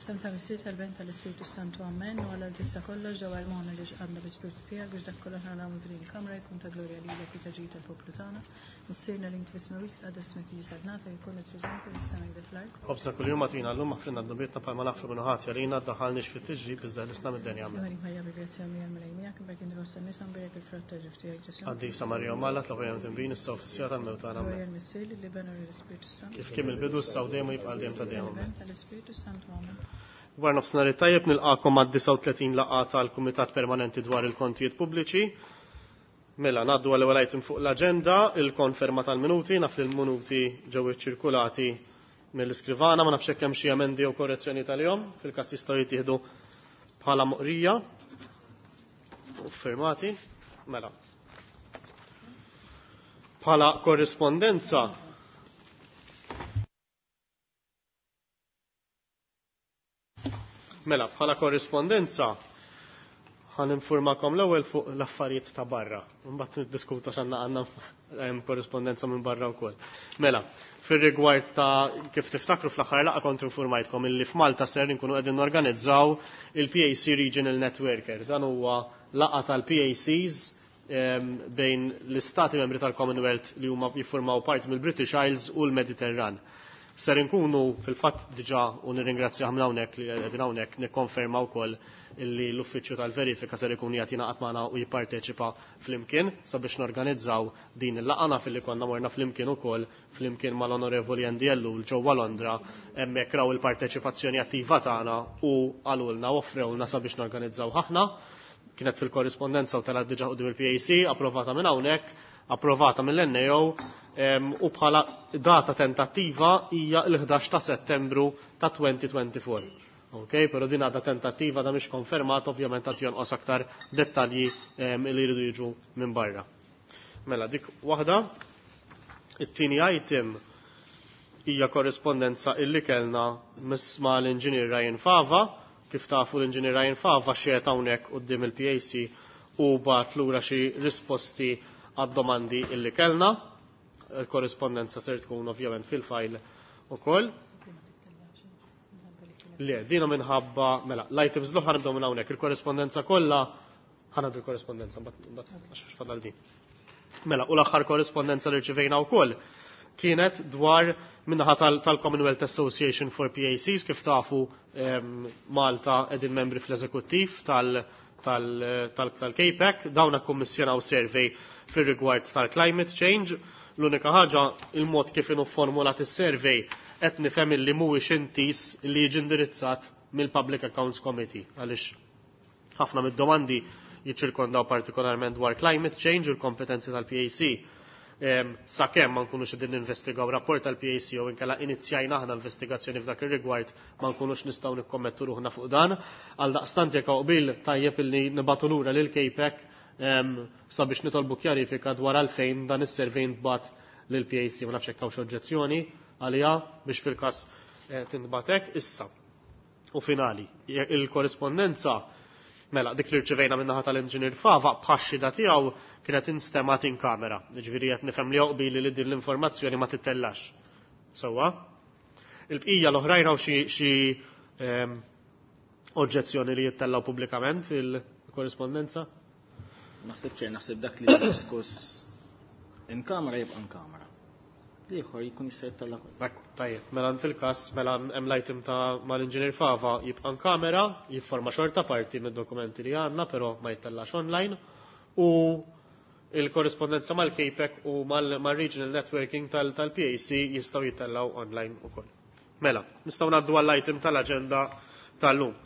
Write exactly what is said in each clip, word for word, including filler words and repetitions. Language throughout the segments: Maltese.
Sem ta' Missier tal-Ben tal-Ispirtu Santu Amen u għal tista' kollox ġewwa l-moħna li ġqadna bl-Ispirtu tiegħek biex dak kollox nagħmlu f'din il-kamra jkun ta' glorja lilek u ta' ġid tal-poplu tagħna. Missierna li inti fis-smewwiet tqaddes ismek jiġi saltnata jkun it-triżenku fis-sema jde fl-art. Ħobsa kuljum agħtina llum aħfrilna dnubietna bħalma naħfru minnu ħadd għalina ddaħħalniex fit-tiġrib iżda ħlisna mid-denja. Amen. Marik Marija bil-grazzja mija l-Mulej miegħek, imbagħad inti fost in-nisa mbierek il-frott ta' ġuf tiegħek Ġesù. Qaddisa Marija Omm Alla tlob għalina midinbin issa u fis-siegħa tal-mewt tagħna. Amen. Glorja l-Missier, lill-Iben u lill-Ispirtu Santu. Kif kien mill-bidu issa u dejjem u jibqa' għal dejjem ta' dejjem. Amen. Tal-Iben tal-Ispirtu Santu. Amen. Wara nofsinhar it-tajjeb nilqakom għad-disgħa u tletin laqgħa tal-Kumitat Permanenti dwar il-Kontijiet Pubbliċi. Mela, ngħaddu għal ewwel item fuq l-aġenda, il-konferma tal-minuti, naf li l-minuti ġew iċċirkulati mill-iskrivana, ma nafx hekk hemm xi emendi jew korrezzjoni tal-jom, fil-każ jistgħu jittieħdu bħala moqrija u firmati. Mela. Bħala korrispondenza Mela, bħala korrispondenza ħan informakom l-ewwel fuq l-affarijiet ta' barra. Mbagħad niddiskutu x'għandna għandna hemm korrispondenza minn barra wkoll. Mela, fir-rigward ta' kif tiftakru fl-aħħar laqgħa kont informajtkom illi f'Malta ser inkunu qegħdin norganizzaw il-P A C Regional Networker. Dan huwa laqgħa tal-P A Cs, ehm, bejn l-istati membri tal-Commonwealth li huma jiffurmaw parti mill-British Isles u l-Mediterran. Ser inkunu fil-fatt diġà u nirringrazzjah minn hawnhekk li qegħdin hawnhekk nikkonferma wkoll illi l-uffiċċju tal-verifika ser ikun qiegħed jingħaqad magħna u jipparteċipa flimkien sabiex norganizzaw din il-laqgħa. Naf illi konna morna flimkien ukoll flimkien mal-Onorevoli Andy Ellul ġewwa Londra, hemmhekk raw il-parteċipazzjoni attiva tagħna u qalulna u offrewlna sabiex norganizzaw aħna. Kienet fil-korrispondenza u telgħet diġà quddiem il-P A C, approvata minn hawnhekk, approvata mill-N A O, em, u bħala data tentattiva hija l-ħdax ta' Settembru ta' twenty twenty-four. Ok, però din għadha tentattiva, da mhix konfermata, ovvjament għad jonqos aktar dettalji, em, li jridu jiġu minn barra. Mela, dik waħda. It-tieni item hija korrispondenza illi kellna ma' l-Inġinier Ryan Fava. Kif tafu l-Inġinier Ryan Fava xiet hawnhekk quddiem il-P A C u bagħat lura xi risposti għad-domandi illi kellna. Il-korrispondenza ser tkun ovvjament fil-fajl ukoll. Le, dina minħabba, mela, l-items l-oħra nibdew minn hawnhekk, il-korrispondenza kollha ħanad il-korrispondenza, mbagħad, mbagħad għax fadal din. Mela, u l-aħħar korrispondenza li rċivejna wkoll kienet dwar minnaħa tal-, tal-Commonwealth Association for P A Cs, kif tafu, ehm, Malta qegħdin membri fl-eżekuttiv tal-, tal-, tal-, tal-K P A C, dawn akkummissjonaw survey fir-rigward tal-climate change. L-unika ħaġa, il-mod kif inhu formulat is-survey qed nifhem illi mhuwiex intis li jiġi indirizzat mill-Public Accounts Committee, għaliex ħafna mid-domandi jiċċirkondaw partikolarment dwar climate change u l-kompetenzi tal-P A C. Ehm, sakemm ma nkunux qegħdin ninvestigaw rapport tal-P A C jew inkella inizjajna aħna investigazzjoni f'dak ir-rigward ma nkunux nistgħu nikkommettu ruħna fuq dan. Għaldaqstant jekk hawn qbil tajjeb illi nibagħtu lura lil K P A C, ehm, sabiex nitolbu kjarifika dwar għalfejn dan is-survey ntbagħat lil P A C. Ma nafx jekk hawnx oġġezzjoni għaliha biex fil-każ, eh, tintbagħat hekk. Issa u finali, je-, il-korrispondenza mela dik li rċivejna min-naħa tal-Inġinier Fava bħax-xhieda tiegħu kienet instemgħet in kamera. Jiġifieri qed nifhem li joqbili li din l-informazzjoni ma tittellax. Sewwa? Il-bqija l-oħrajn hawn xi, xi, ehm, oġġezzjoni li jittellaw pubblikament il-korrispondenza? Naħseb ċer, naħseb dak li diskuss in kamera jibqa' in kamera. L-ieħor jkun jista' jittella' kollu. Ekku, tajjeb. Mela fil-każ, mela hemm l-item ta' mal-Inġinier Fava jibqa' in kamera, jifforma xorta parti mid-dokumenti li għandna, però ma jittellax online, u il-korrispondenza mal-K P A C u mal-, mal-Regional Networking tal-, tal-P A C jistgħu jittellaw online ukoll. Mela, nistgħu ngħaddu għall-item tal-aġenda tal-lum.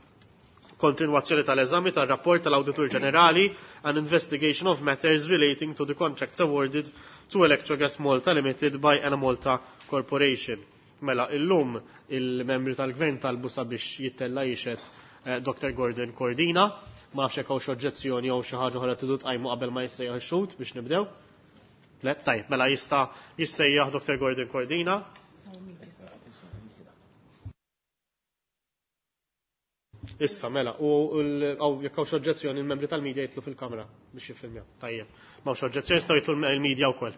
Kontinwazzjoni tal-eżami tal-rapport tal-Awditur Ġenerali an investigation of matters relating to the contracts awarded to Electrogas Malta Limited by Enemalta Corporation. Mela, illum il-membri tal-gvern talbu sabiex jittella jixed, eh, Doctor Gordon Cordina. Ma nafx jekk hawnx oġġezzjoni jew xi ħaġa oħra tridu tqajmu qabel ma jissejjaħ ix-xhud biex nibdew. Le, tajjeb, mela jista' jissejjaħ Doctor Gordon Cordina. Issa, mela, u l-, għaw, jekk hawnx oġġezzjoni, il-membri tal-media jitlu fil-kamra biex jiffilmjaw. Tajjeb. Ma hawnx oġġezzjoni, jistgħu jitlu l-media wkoll.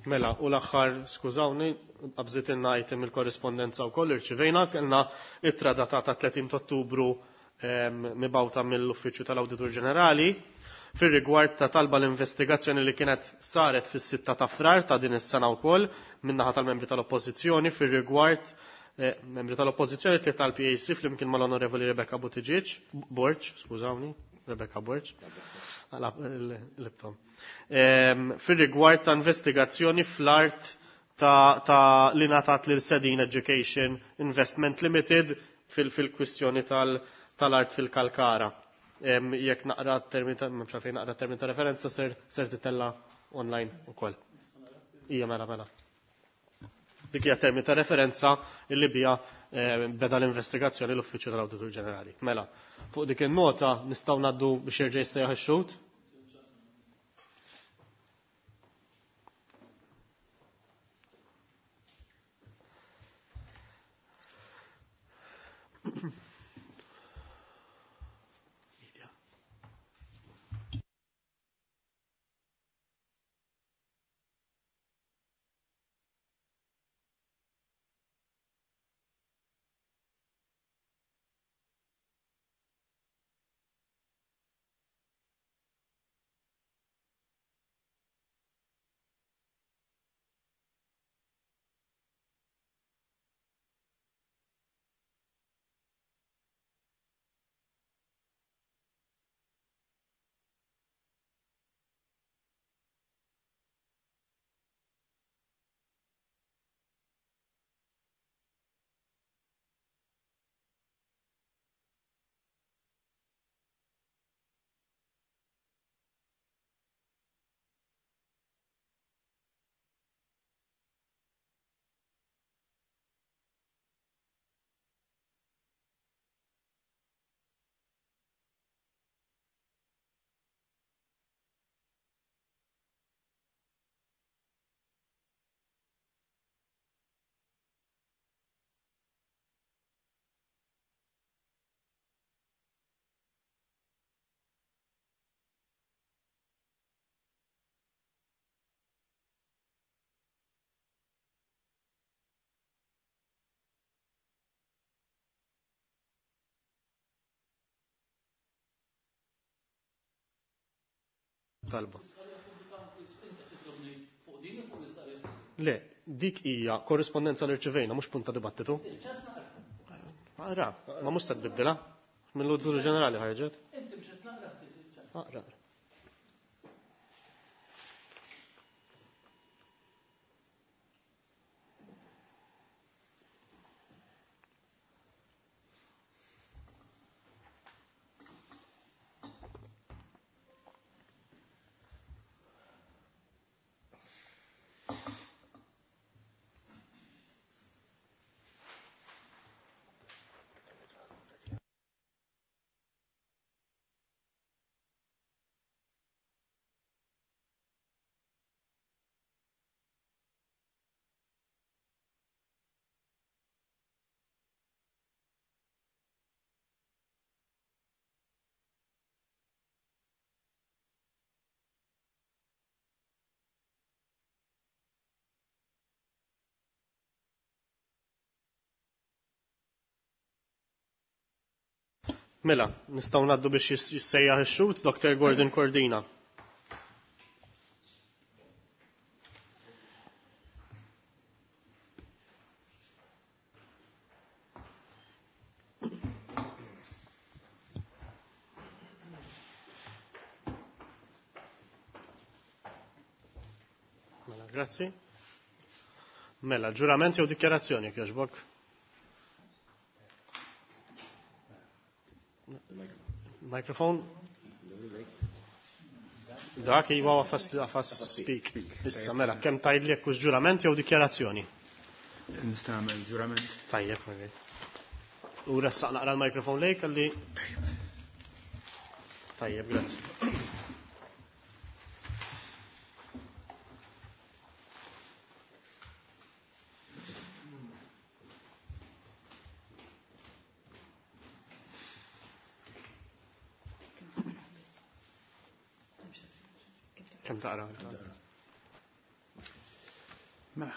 Mela, u l-aħħar, skużawni, qabżitilna item il-korrispondenza wkoll irċivejna, kellna ittra datata tletin ta' Ottubru mibgħuta mill-Uffiċċju tal-Awditur Ġenerali fir-rigward ta' talba l-investigazzjoni li kienet saret fis-sitta ta' Frar ta' din is-sena wkoll min-naħa tal-membri tal-Oppożizzjoni fir-rigward eh, membri tal-Oppożizzjoni tliet tal-P A C flimkien mal-Onorevoli Rebecca Buttigieg, Borg, skużawni, Rebecca Borg. L-ibtom. Fir-rigward ta' investigazzjoni fl-art ta', ta li ngħatat lil Sedin Education Investment Limited fil-kwistjoni tal, tal-art fil-Kalkara. Jekk naqra termin ta', m'hemmx għalfejn naqra termin ta' referenza ser, ser titella online ukoll. Ija mela mela. Dik hija termin ta' referenza illi bija beda l-investigazzjoni l-Uffiċċju tal-Awditur Ġenerali. Mela, fuq dik in-nota nistgħu ngħaddu biex jerġa' jissejjaħ ix-xhud. Talba. Le, dik hija korrispondenza li rċivejna, mhux punt ta' dibattitu. Aqra, ma mhux se tbiddilha. Mill-Awditur Ġenerali ħarġet. Aqra. Mela, nistgħu ngħaddu biex jissejjaħ ix-xhud Doctor Gordon Cordina. Mela, grazzi. Mela, ġurament jew dikjarazzjoni jogħġbok? Microphone? Dak iwa għafas għafas speak. Issa mela, kemm tgħidli jekk hux ġurament jew dikjarazzjoni? Nista' nagħmel ġurament. Tajjeb, alright. U ressaq naqra l-mikrofon lejk għalli. Tajjeb, grazzi. Kemm taqra? Mela.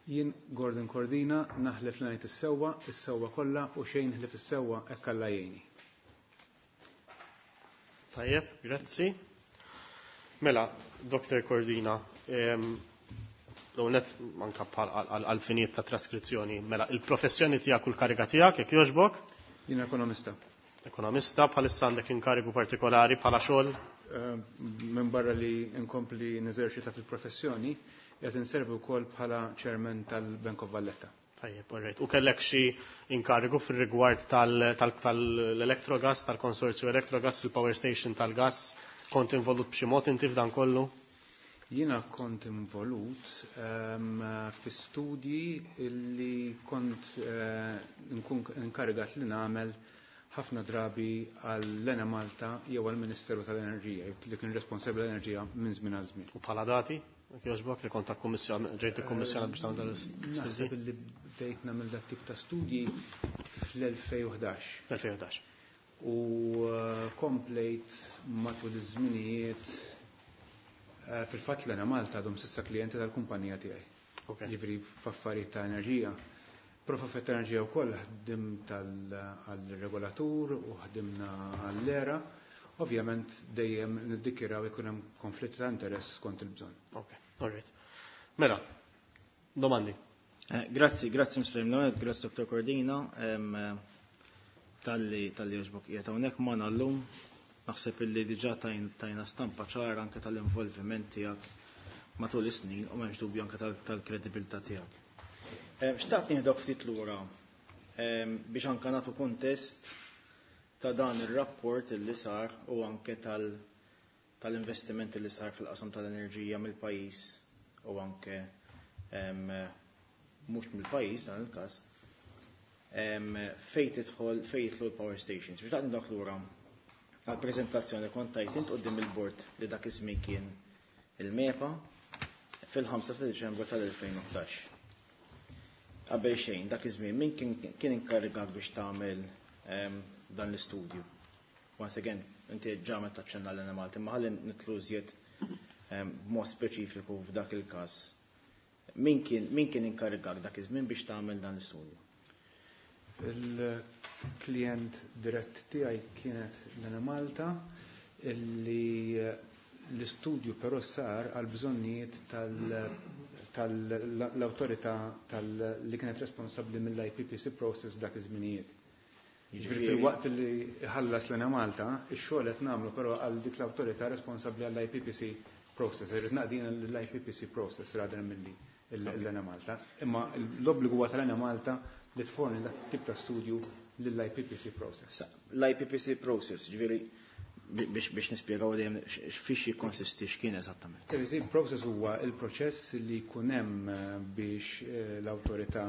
Jien Gordon Cordina naħlef li ngħid is-sewwa, is-sewwa kollha u xejn ħlief is-sewwa hekk Alla jgħinni. Tajjeb, grazzi. Mela, Doktor Cordina, l-għonet manka għal-finijiet ta' traskrizzjoni, mela, il-professjoni tiegħek u l-kariga tiegħek, jekk jogħġbok? Jien ekonomista. Ekonomista, bħalissa għandek inkarigu partikolari bħala xogħol? Minn barra li nkompli neżerċita fil-professjoni, qed inservi wkoll bħala chairman tal-Bank of Valletta. Tajjeb, all right. U kellek xi inkarigu fir-rigward tal-Electrogas, tal-konsorzju Electrogas, il-power station tal-gas, kont involut b'xi mod inti f'dan kollu? Jiena kont involut fi studji li kont nkun inkarigat li nagħmel ħafna drabi għall-Enemalta jew għall-Ministeru tal-Enerġija li kien responsabbli l-enerġija minn żmien għal żmien. U bħala dati? Jogħġbok li kont ġejt ikkummissjonat biex tagħmel dan l-istudji? Naħseb li bdejt nagħmel dat tip ta' studji fl-elfejn u ħdax. elfejn u ħdax. U komplejt matul iż-żminijiet fil-fatt l-Enemalta għadhom s'issa klijenti tal-kumpanija tiegħi. Jiġifieri f'affarijiet ta' enerġija. Però f'affarijiet ta' enerġija wkoll ħdimt għall-regolatur u ħdimna għall-era. Ovvjament dejjem niddikjaraw jkun hemm konflitt ta' interess skont il-bżonn. Ok, all right. Mela, domandi. Grazzi, grazzi Mister Mlamed, grazzi Doktor Cordina, tal-li tal-li jogħġbok qiegħed hawnhekk magħna llum. Naħseb illi diġà tajna stampa ċara anke tal-involviment tiegħek matul is-snin u m'hemmx dubju anke tal-kredibilità tiegħek. Xtaqt nieħdok ftit lura biex anke nagħtu kuntest ta' dan ir-rapport illi sar u anke tal-investiment illi sar fil-qasam tal-enerġija mill-pajjiż u anke mhux mill-pajjiż dan il-każ fejn tidħol fejn jidħlu l-power stations. Biex taqt dak lura għall-preżentazzjoni kont tajt int quddiem il-bord li dak iż-żmien kien il-MEPA fil-ħamsa ta' Diċembru tal-elfejn u ħdax. Qabel xejn dak iż-żmien min kien inkarigat biex tagħmel dan l-istudju? Once again, inti ġa meta taċċenna l-Enemalta, imma ħalli nitlu iżjed b'mod speċifiku f'dak il-każ. Min kien, min kien inkarigak dak iż-żmien biex tagħmel dan l-istudju? Il-klient dirett tiegħi kienet l-Enemalta, illi l-istudju però sar għal bżonnijiet tal-awtorità li kienet responsabbli mill-I P P C process f'dak iż-żminijiet. Jiġifieri fil-waqt li ħallas l-Enemalta, ix-xogħol qed nagħmlu però għal dik l-awtorità responsabbli għall-I P P C process. Irrid naqdina l-I P P C process rather milli l-Enemalta. Imma l-obbligu huwa tal-Enemalta li tforni dak tip ta' studju lill-I P P C process. L-I P P C process, ġifieri biex, biex nispjegaw dejjem fiex jikkonsisti x'kien eżattament. I P P C process huwa il-proċess li jkun hemm biex l-awtorità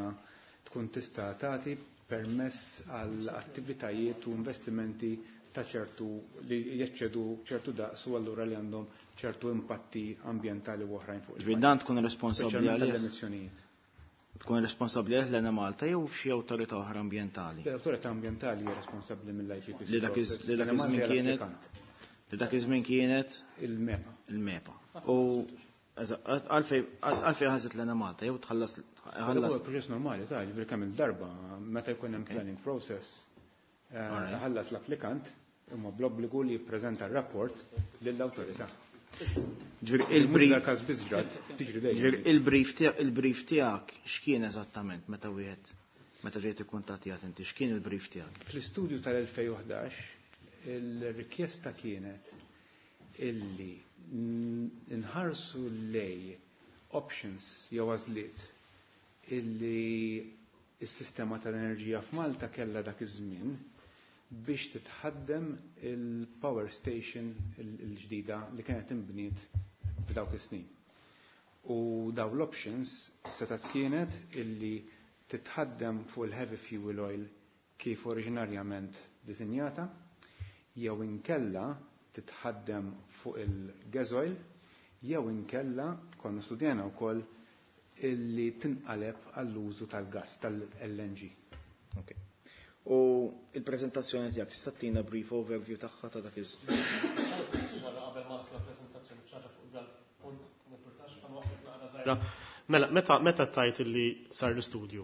tkun tista' tagħti permess għal attivitajiet u investimenti ta' ċertu li jeċċedu ċertu daqs u allura li għandhom ċertu impatti ambjentali u oħrajn fuq il-pajjiż. Dan tkun responsabbli Speċjalment għalih? tal-emissjonijiet. Tkun responsabbli għalih l-Enemalta jew xi awtorità oħra ambjentali? L-awtorità ambjentali hija responsabbli mill-I P P C Li dak iż-, process. li dak iż-żmien L-Enemalta hija kienet l-applikant. li dak iż-żmien kienet il-MEPA. Il-MEPA. U għalfej, għalfej ħaset l-Enemalta jew tħallas, ħallas Huwa proċess normali ta' ġifieri kemm il-darba meta jkun hemm planning process, eh, All right. ħallas l-applikant imma bl-obbligu li jippreżenta r-rapport lill-awtorità. Ġifieri Mhux il-brief dal-każ biss ġrat, tiġri dejjem. Ġifieri il-brief tiegħek, il-brief tiegħek x'kien eżattament meta wieħed meta ġejt ikkuntattjat inti, x'kien il-brief tiegħek? Fl-istudju tal-elfejn u ħdax il-rikjesta kienet illi nħarsu lej options jew għażliet illi s-sistema tal-enerġija f'Malta kellha dak iż-żmien biex titħaddem il-power station il-ġdida li kienet inbniet f'dawk is-snin. U daw l-options setat kienet illi titħaddem fuq il-heavy fuel oil kif oriġinarjament disinjata, jew inkella titħaddem fuq il-gas oil, jew inkella konna studjana wkoll illi tinqaleb għall-użu tal-gas, tal-L N G. Ok. U il-preżentazzjoni tiegħek tista' ttina brief overview tagħha ta' dak iż. Mela, meta meta tajt li sar l-istudju,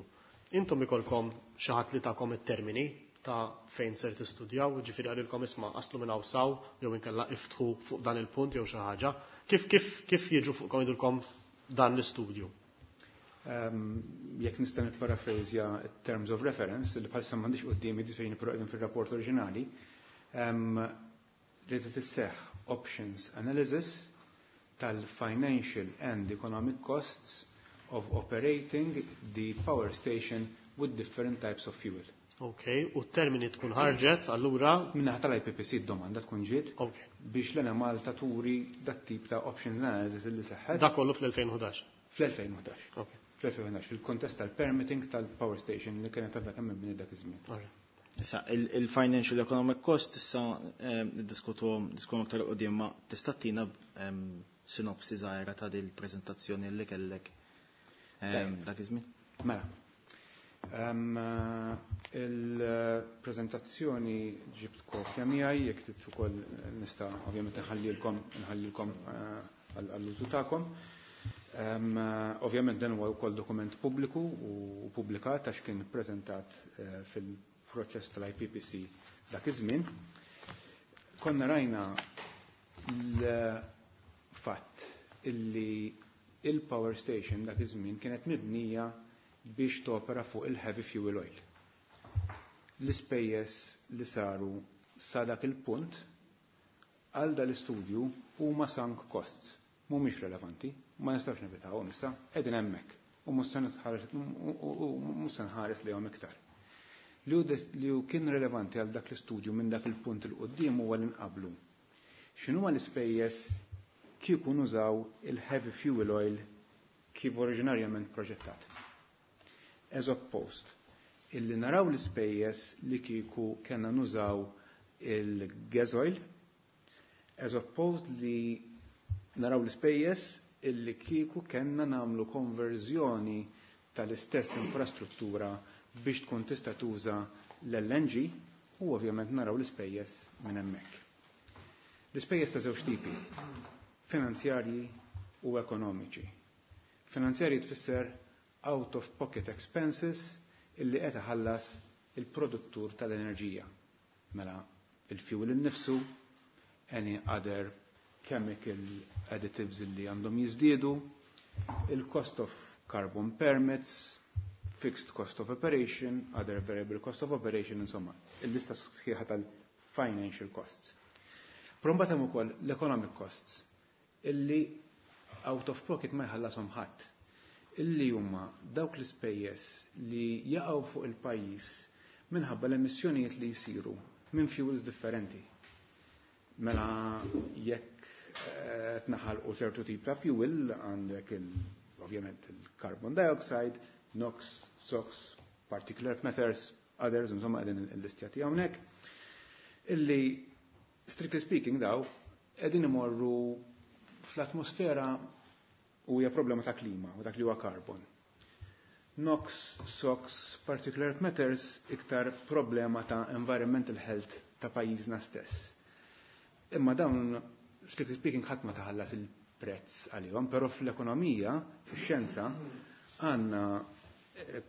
intom ikolkom xi ħadd li tagħkom it-termini ta' fejn ser tistudjaw, ġifieri qalilkom isma' aslu minn hawn saw jew inkella iftħu fuq dan il-punt jew xi ħaġa. Kif kif kif jiġu fuqkom jidulkom dan l-istudju? Jekk nista' nipparafrażja terms of reference li bħalissa m'għandix quddiemi disfejn qegħdin fir-rapport oriġinali, li tisseħħ options analysis tal-financial and economic costs of operating the power station with different types of fuel. Ok, u t-termini tkun ħarġet, allura? Minnaħa tal-I P P C d-domanda tkun ġiet biex l-Enemalta turi dat tip ta' options analysis li seħħet. Da kollu fl-elfejn u ħdax? fl-elfejn u ħdax. fl-elfejn u ħdax, fil-kontest tal-permitting tal-power station li kienet għadha kemm mibni dak iż-żmien. Issa, il-financial economic cost issa niddiskutu diskutu aktar qudiem, ma tista' tina sinopsi żgħira ta' din il-preżentazzjoni li kellek dak iż-żmien? Mela. Il-preżentazzjoni ġibt kopja miegħi, jekk trid ukoll nista' ovvjament nħallilkom, nħallilkom għall-użu tagħkom. Ovvjament dan huwa wkoll dokument pubbliku u pubblikat għax kien ppreżentat fil-proċess tal-I P P C dak iż-żmien. Konna rajna l-fatt illi il-power station dak iż-żmien kienet mibnija biex topera fuq il-heavy fuel oil. L-ispejjeż li saru sa dak il-punt għal dal-istudju huma sunk costs, mhumiex relevanti, ma nistgħux nevitawhom issa, qegħdin hemmhekk u mhux se nħares lejhom iktar. Li hu kien relevanti għal dak l-istudju minn dak il-punt il quddiem huwa li nqablu. X'inhuma l-ispejjeż kieku nużaw il-heavy fuel oil kif oriġinarjament proġettat? As opposed, illi naraw l-ispejjeż li kieku kellna nużaw il-gas oil, as opposed li naraw l-ispejjeż illi kieku kellna nagħmlu konverżjoni tal-istess infrastruttura biex tkun tista' tuża l-L N G u ovvjament naraw l-ispejjeż minn hemmhekk. L-ispejjeż ta' żewġ tipi, finanzjarji u ekonomiċi. Finanzjarji tfisser out of pocket expenses illi qed iħallas il-produttur tal-enerġija. Mela il-fuel innifsu, any other chemical additives illi għandhom jiżdiedu, il-cost of carbon permits, fixed cost of operation, other variable cost of operation, insomma, il-lista sħiħa tal-financial costs. Però mbagħad hemm ukoll l-economic costs illi out of pocket ma jħallashom ħadd, illi huma dawk l-ispejjeż li jaqgħu fuq il-pajjiż minħabba l-emissjonijiet li jsiru minn fuels differenti. Mela jekk, eh, tnaħalqu ċertu tip ta' fuel għandek il-, ovvjament il-carbon dioxide, NOx, SOx, particulate matters, others, insomma qegħdin il-listjati hawnhekk, illi strictly speaking daw qegħdin imorru fl-atmosfera u hija problema ta' klima u dak li huwa carbon. NOx, SOx, particulate matters iktar problema ta' environmental health ta' pajjiżna stess. Imma dawn, strictly speaking, ħadd ma taħallas il-prezz għalihom, però fl-ekonomija, fix-xjenza, għandna, eh,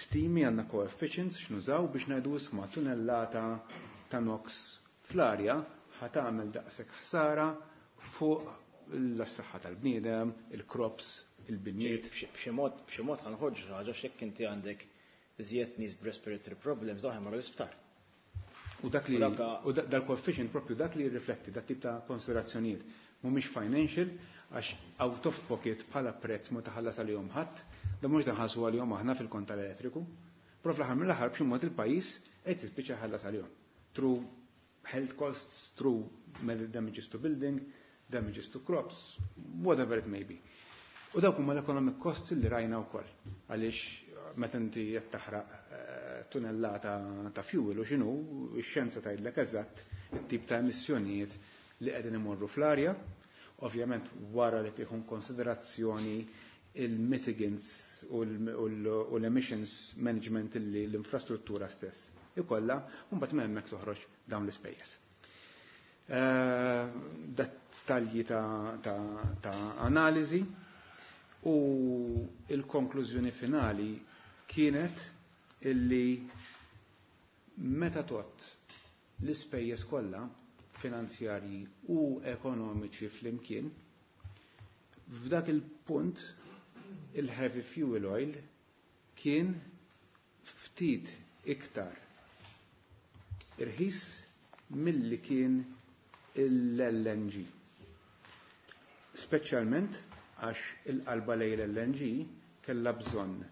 stimi, għandna coefficients x'nużaw biex ngħidu isma' tunellata ta' NOx fl-arja ħa tagħmel daqshekk ħsara fuq l-saħħa tal-bniedem, il-crops, il-binjiet. B'xi mod, b'xi mod ħanħorġu xi ħaġa x'jekk inti għandek iżjed nies b'respiratory problems dawn ħemmarru l-isptar. U dak li U dak u da-, dal-coefficient propju dak li jirrifletti dak tip ta' konsiderazzjonijiet mhumiex financial għax out of pocket bħala prezz ma taħallas għalihom ħadd, da mhux daħalsu għalihom aħna fil-kont tal-elettriku. Però fl-aħħar mill-aħħar b'xi mod il-pajjiż qed jispiċċa jħallas għalihom. Through health costs, through damages to building, damages to crops, whatever it may be. U dawk huma l-economic costs li rajna wkoll għaliex meta inti qed taħraq, eh, tunellata ta' fuel u x'inhu, ix-xjenza tgħidlek eżatt it-tip ta' emissjonijiet li qegħdin imorru fl-arja, ovvjament wara li tieħu konsiderazzjoni il-mitigants u l-, u l-, u l-emissions management li l-infrastruttura stess ikollha, u mbagħad minn hemmhekk toħroġ dawn l-ispejjeż. Eh, dettalji ta', ta, ta analiżi u il-konklużjoni finali kienet illi meta tot l-ispejjeż kollha finanzjarji u ekonomiċi flimkien, f'dak il-punt il-heavy fuel oil kien ftit iktar irħis milli kien l-L N G. Speċjalment għax il-qalba lejn l-L N G kella bżonn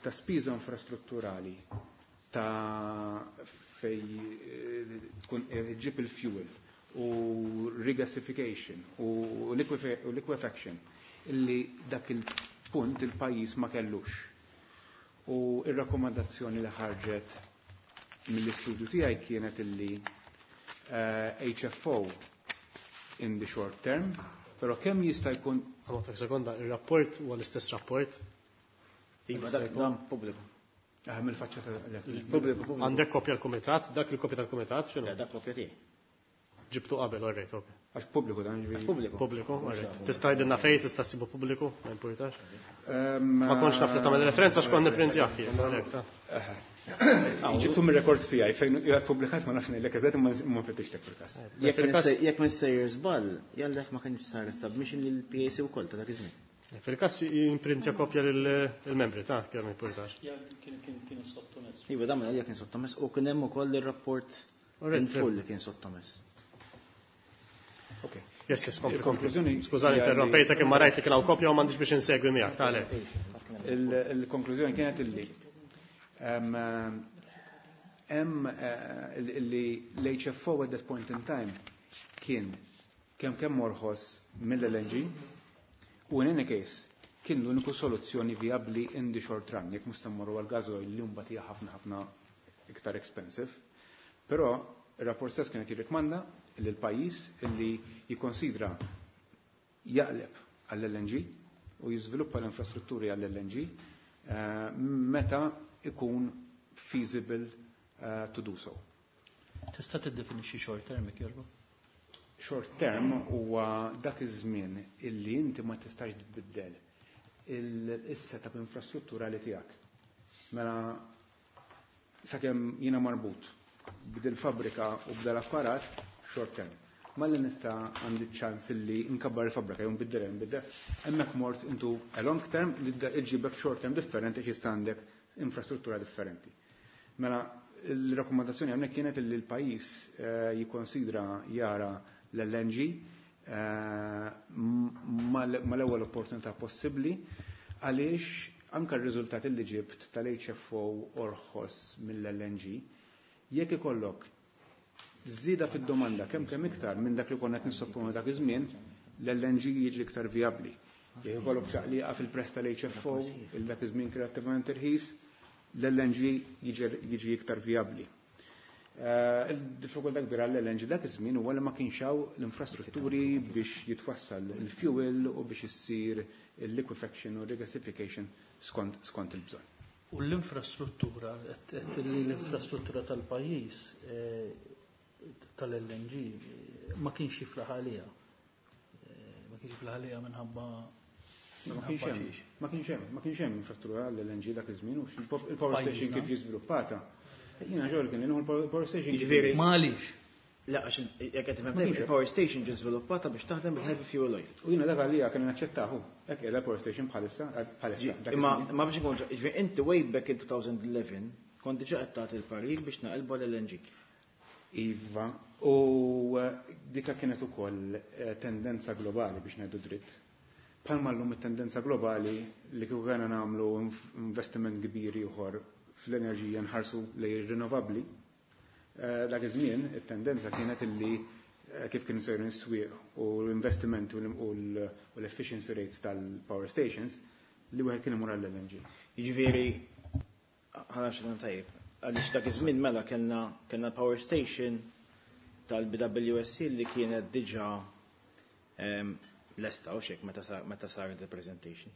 ta' spiża infrastrutturali ta' fej eh, tkun ġib il-fuel u regasification u liquefaction illi dak il-punt il-pajjiż ma kellux. U il-rakkomandazzjoni li ħarġet mill-istudju tiegħi kienet illi H F O in the short term, però kemm jista' jkun Għamma sekonda, il-rapport huwa l-istess rapport. Iva, dak dan pubbliku. Ah, mill-faċċata. Pubbliku, pubbliku. Għandek kopja l-kumitat, dak il-kopja tal-kumitat, x'inhu? Dak kopja tiegħi. Ġibtu qabel, alright, ok. Għax pubbliku dan, ġifieri. Pubbliku. Pubbliku, alright. Tista' jgħidilna fejn tista' ssibu pubbliku, ma importax. Ehm, Ma kontx naf li tagħmel referenza x'kont nipprintjah jien, għalhekk ta' Ġibtu mir-rekords tiegħi fejn qiegħed pubblikat, ma nafx ngħidlek eżatt, imma ma nfittixlek fil-każ. Jekk Fil-każ- jekk minn sejjer żball, jallek ma kienx sar submission lil P A C wkoll ta' dak iż-żmien. Fil-każ jimprintja kopja lill-membri ta' kif ma importax. Kien sottomess. Iva, dan minn għalija kien sottomess u kien hemm ukoll ir-rapport Alright, in full li kien sottomess. Ok. Yes, yes, kompli. Il-konklużjoni Skużani, hija li- interrompejtek, imma rajt li kien hawn kopja u m'għandix biex insegwi miegħek, ta' għalhekk. Il- Il-konklużjoni kienet illi em, hemm eh, illi l-H F O at that point in time kien kemm kemm orħos mill-L N G u in any case kien l-uniku soluzzjoni viabli in the short run, jekk mhux mmorru għal gas oil li mbagħad hija ħafna ħafna iktar expensive. Però ir-rapport stess kienet jirrikmanda li l-pajjiż illi jikkonsidra jaqleb għall-L N G u jiżviluppa l-infrastrutturi għall-L N G eh, meta ikun feasible eh, to do so. Tista' tiddefinixxi short term, jekk jogħġbok? Short term huwa dak iż-żmien illi inti ma tistax tbiddel il-setup infrastrutturali tiegħek. Mela sakemm jiena marbut b'dil fabrika u b'dal apparat, short term. Malli nista' għandi ċans illi nkabbar il-fabrika jew nbiddel nbiddel, hemmhekk mort into a long term li iġibek short term differenti għax issa għandek infrastruttura differenti. Mela, il-rakkomandazzjoni hawnhekk kienet li l-pajjiż eh, jikkonsidra jara l-L N G eh, mal-ewwel opportunità possibbli, għaliex anka r-riżultat li ġibt tal-H F O orħos mill-L N G, jekk ikollok żieda fid-domanda kemm kemm iktar minn dak li konna qed nissopponu dak iż-żmien, l-L N G jiġi iktar vijabbli. Jekk ikollok ċaqliqa fil-prezz tal-H F O, il dak iż-żmien kreattivament irħis, l-L N G jiġi iktar vijabbli. Eh, Il-diffikultà kbira l-L N G dak iż-żmien huwa li ma kienx hawn l-infrastrutturi biex jitwassal il-fuel u biex issir il-liquefaction u regasification skont skont il-bżonn. U l-infrastruttura, qed li l-infrastruttura tal-pajjiż eh, tal-L N G eh, ma kienx jiflaħ għalija. Eh, Ma kienx jiflaħ għalija minħabba Ma kienx hemm, xiex. ma kienx hemm, ma kienx hemm infrastruttura għall-L N G dak iż-żmien u il-power Pajjiżna. station kif jiżviluppata. Jiena xogħol kien li il-power station. Jiġifieri- Ma għaliex. La, għax jekk qed tifhem Ma kienx hemm. il-power station ġi żviluppata biex taħdem bil-heavy fuel oil. U jiena dak għalija kien naċċettahu. Hekk qiegħda power station bħalissa, bħalissa. Dak Imma iż-żmien. imma biex ikun, jiġifieri inti way back in twenty eleven kont diġà qed tagħti l-parir biex naqilbu l-L N G. Iva, u eh, dika kienet ukoll eh, tendenza globali, biex ngħidu dritt. Palma llum it-tendenza globali li kieku kena nagħmlu inf- investiment kbir ieħor fl-enerġija nħarsu lejn rinnovabbli. Eh, Dak iż-żmien it-tendenza kienet illi eh, kif kienu sejrin is-swieq u l-investimenti u l- u l- u l-efficiency rates tal-power stations li wieħed kien imur għall-L N G. Jiġifieri ħana xi tajjeb. Għaliex dak iż-żmien mela kellna kellna power station tal-B W S C li kienet diġà em, lesta u xek meta sar meta saret il-presentation.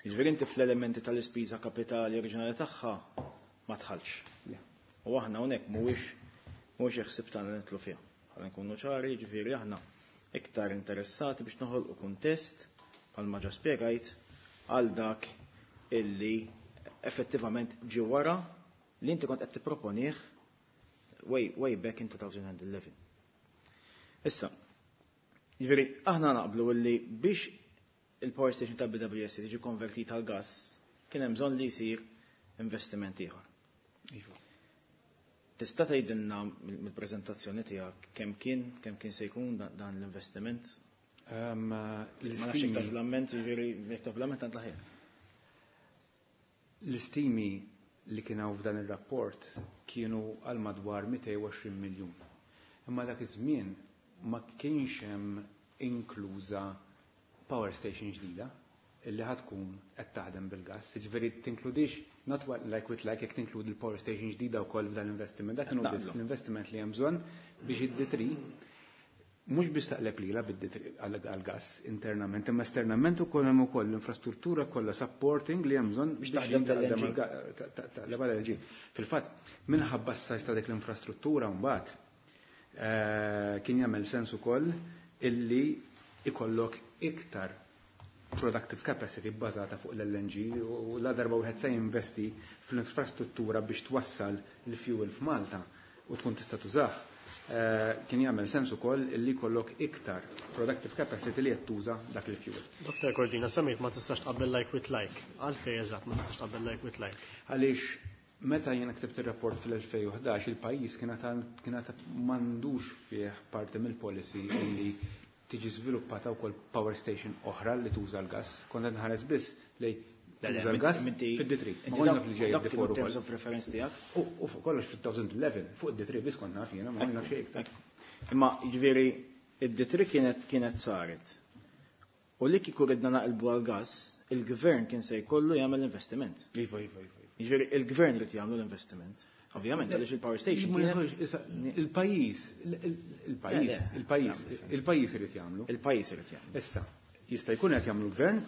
Jiġifieri inti fl-elementi tal-ispiża kapitali oriġinali tagħha ma tħallx. Le. U aħna hawnhekk mhuwiex mhuwiex ħsieb tagħna nidħlu fiha. Ħalli nkunu ċari, jiġifieri aħna iktar interessati biex noħolqu kuntest bħalma ġa spjegajt għal dak illi effettivament ġie wara li inti kont qed tipproponih way, way back in twenty eleven. Issa, jiġifieri aħna naqblu illi biex il-power station ta' B W S tiġi konvertita għal gas kien hemm bżonn li jsir investiment ieħor. Iva. Tista' tgħidilna mill-preżentazzjoni tiegħek kemm kien kemm kien se jkun dan l-investiment? Ma nafx jekk taf l-amment, jiġifieri jekk taf l-amment għand l-aħjar. L-istimi li kien hawn f'dan ir-rapport kienu għal madwar mitejn u għoxrin miljun. Imma dak iż-żmien ma kienx hemm inkluża power station ġdida illi ħatkun qed taħdem bil-gas. Jiġifieri tinkludix not like with like jekk tinkludi l-power station ġdida wkoll f'dan l-investiment. Dak kienu biss l-investiment li hemm bżonn biex id-D three mhux biss taqleb lilha bid-D three għall-gas internament, imma esternament ukoll hemm ukoll l-infrastruttura kollha supporting li hemm bżonn biex taħdem tal-L G. L G. Fil-fatt, minħabba s-sajs ta' dik l-infrastruttura mbagħad kien jagħmel sens ukoll illi ikollok iktar productive capacity bbażata fuq l-L N G u la darba wieħed se jinvesti fl-infrastruttura biex twassal il-fuel f'Malta u tkun tista' tużah. Kien jagħmel sens ukoll illi jkollok iktar productive capacity li qed tuża dak il-fuel. Doktor Cordina, semmejt ma tistax tqabbel like with like. Għalfejn eżatt ma tistax tqabbel like with like? Għaliex meta jiena ktibt ir-rapport fil-elfejn u ħdax il-pajjiż kien għad m'għandux fih parti mill-policy illi tiġi żviluppata wkoll power station oħra li tuża l-gas. Kont qed nħares biss lej tuża l-gas fid-D three. Ma konna naf li ġej Dak D four kienu terms ukoll. of reference tiegħek? U fuq kollox fil-two eleven, fuq id-D three biss kont naf jiena, ma konna naf xejn iktar. Imma jiġifieri id-D three kienet kienet saret. U li kieku ridna naqilbu għall-gas, il-gvern kien se jkollu jagħmel investiment. Iva, iva, iva, iva. Jiġifieri il-gvern irid jagħmlu l-investiment. Ovvjament, għaliex il-power station Ma kienet jafx, issa, il-pajjiż, il-pajjiż, Le, le. il-pajjiż, il-pajjiż irid jagħmlu. Il-pajjiż irid jagħmlu. Issa, jista' jkun qed jagħmlu l-gvern,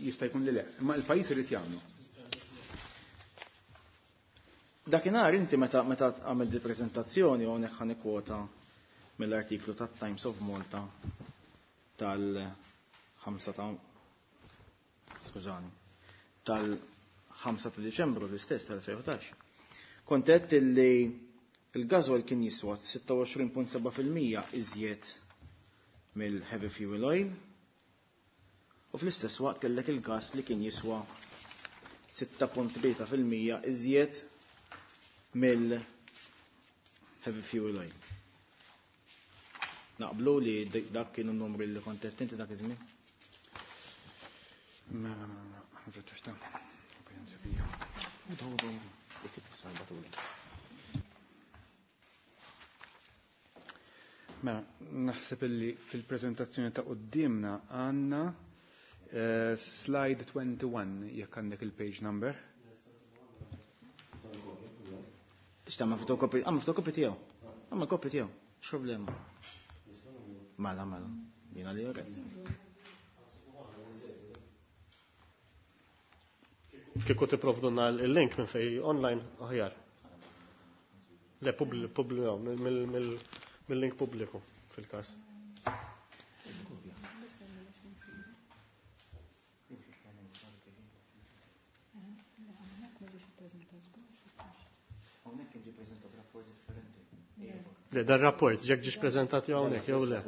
jista' jkun li le, imma il-pajjiż irid jagħmlu. Dakinhar inti meta, meta għamilt di preżentazzjoni u hawnhekk ħa nikkwota mill-artiklu tat-Times of Malta tal-ħamsa ta' skużani, tal-ħamsa ta' Diċembru l-istess tal-elfejn u ħdax. Kont għedt illi il-gasoil kien jiswa sitta u għoxrin punt seba' fil-mija iżjed mill-heavy fuel oil u fl-istess waqt kellek il-gas li kien jiswa sitta punt tlieta fil-mija iżjed mill-heavy fuel oil. Naqblu li dak kienu n-numri li kont qed inti dak iż-żmien? Mela, mela, mela, ħanfettex ta' Mela, naħseb illi fil-preżentazzjoni ta' quddiemna għandna, eh, slide twenty-one jekk għandek il-page number. Tista' tagħmel fotokopi, għamel fotokopi tiegħu. Għamel kopja tiegħu. X'problema? Mela, mela. Jiena li jogħġeb. Kieku tipprovduna il-link minn fej online aħjar. Le, publi-, publi-, no, mill-, mill-, mill-link pubbliku fil-każ. Le, dar rapport, ġek ġiex prezentati hawnhekk jew le?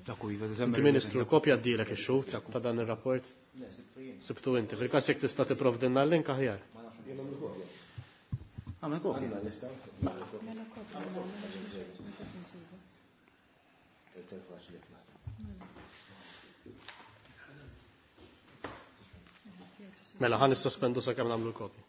Dak hu, iva, Inti Ministru, kopja d-dilek ix-xhud ta' dan ir-rapport? Sibtu inti, fil-każ jekk tista' tipprovdilna l-link aħjar. Għamel kopja. Mela, ħan nissospendu sakemm nagħmlu l-kopja.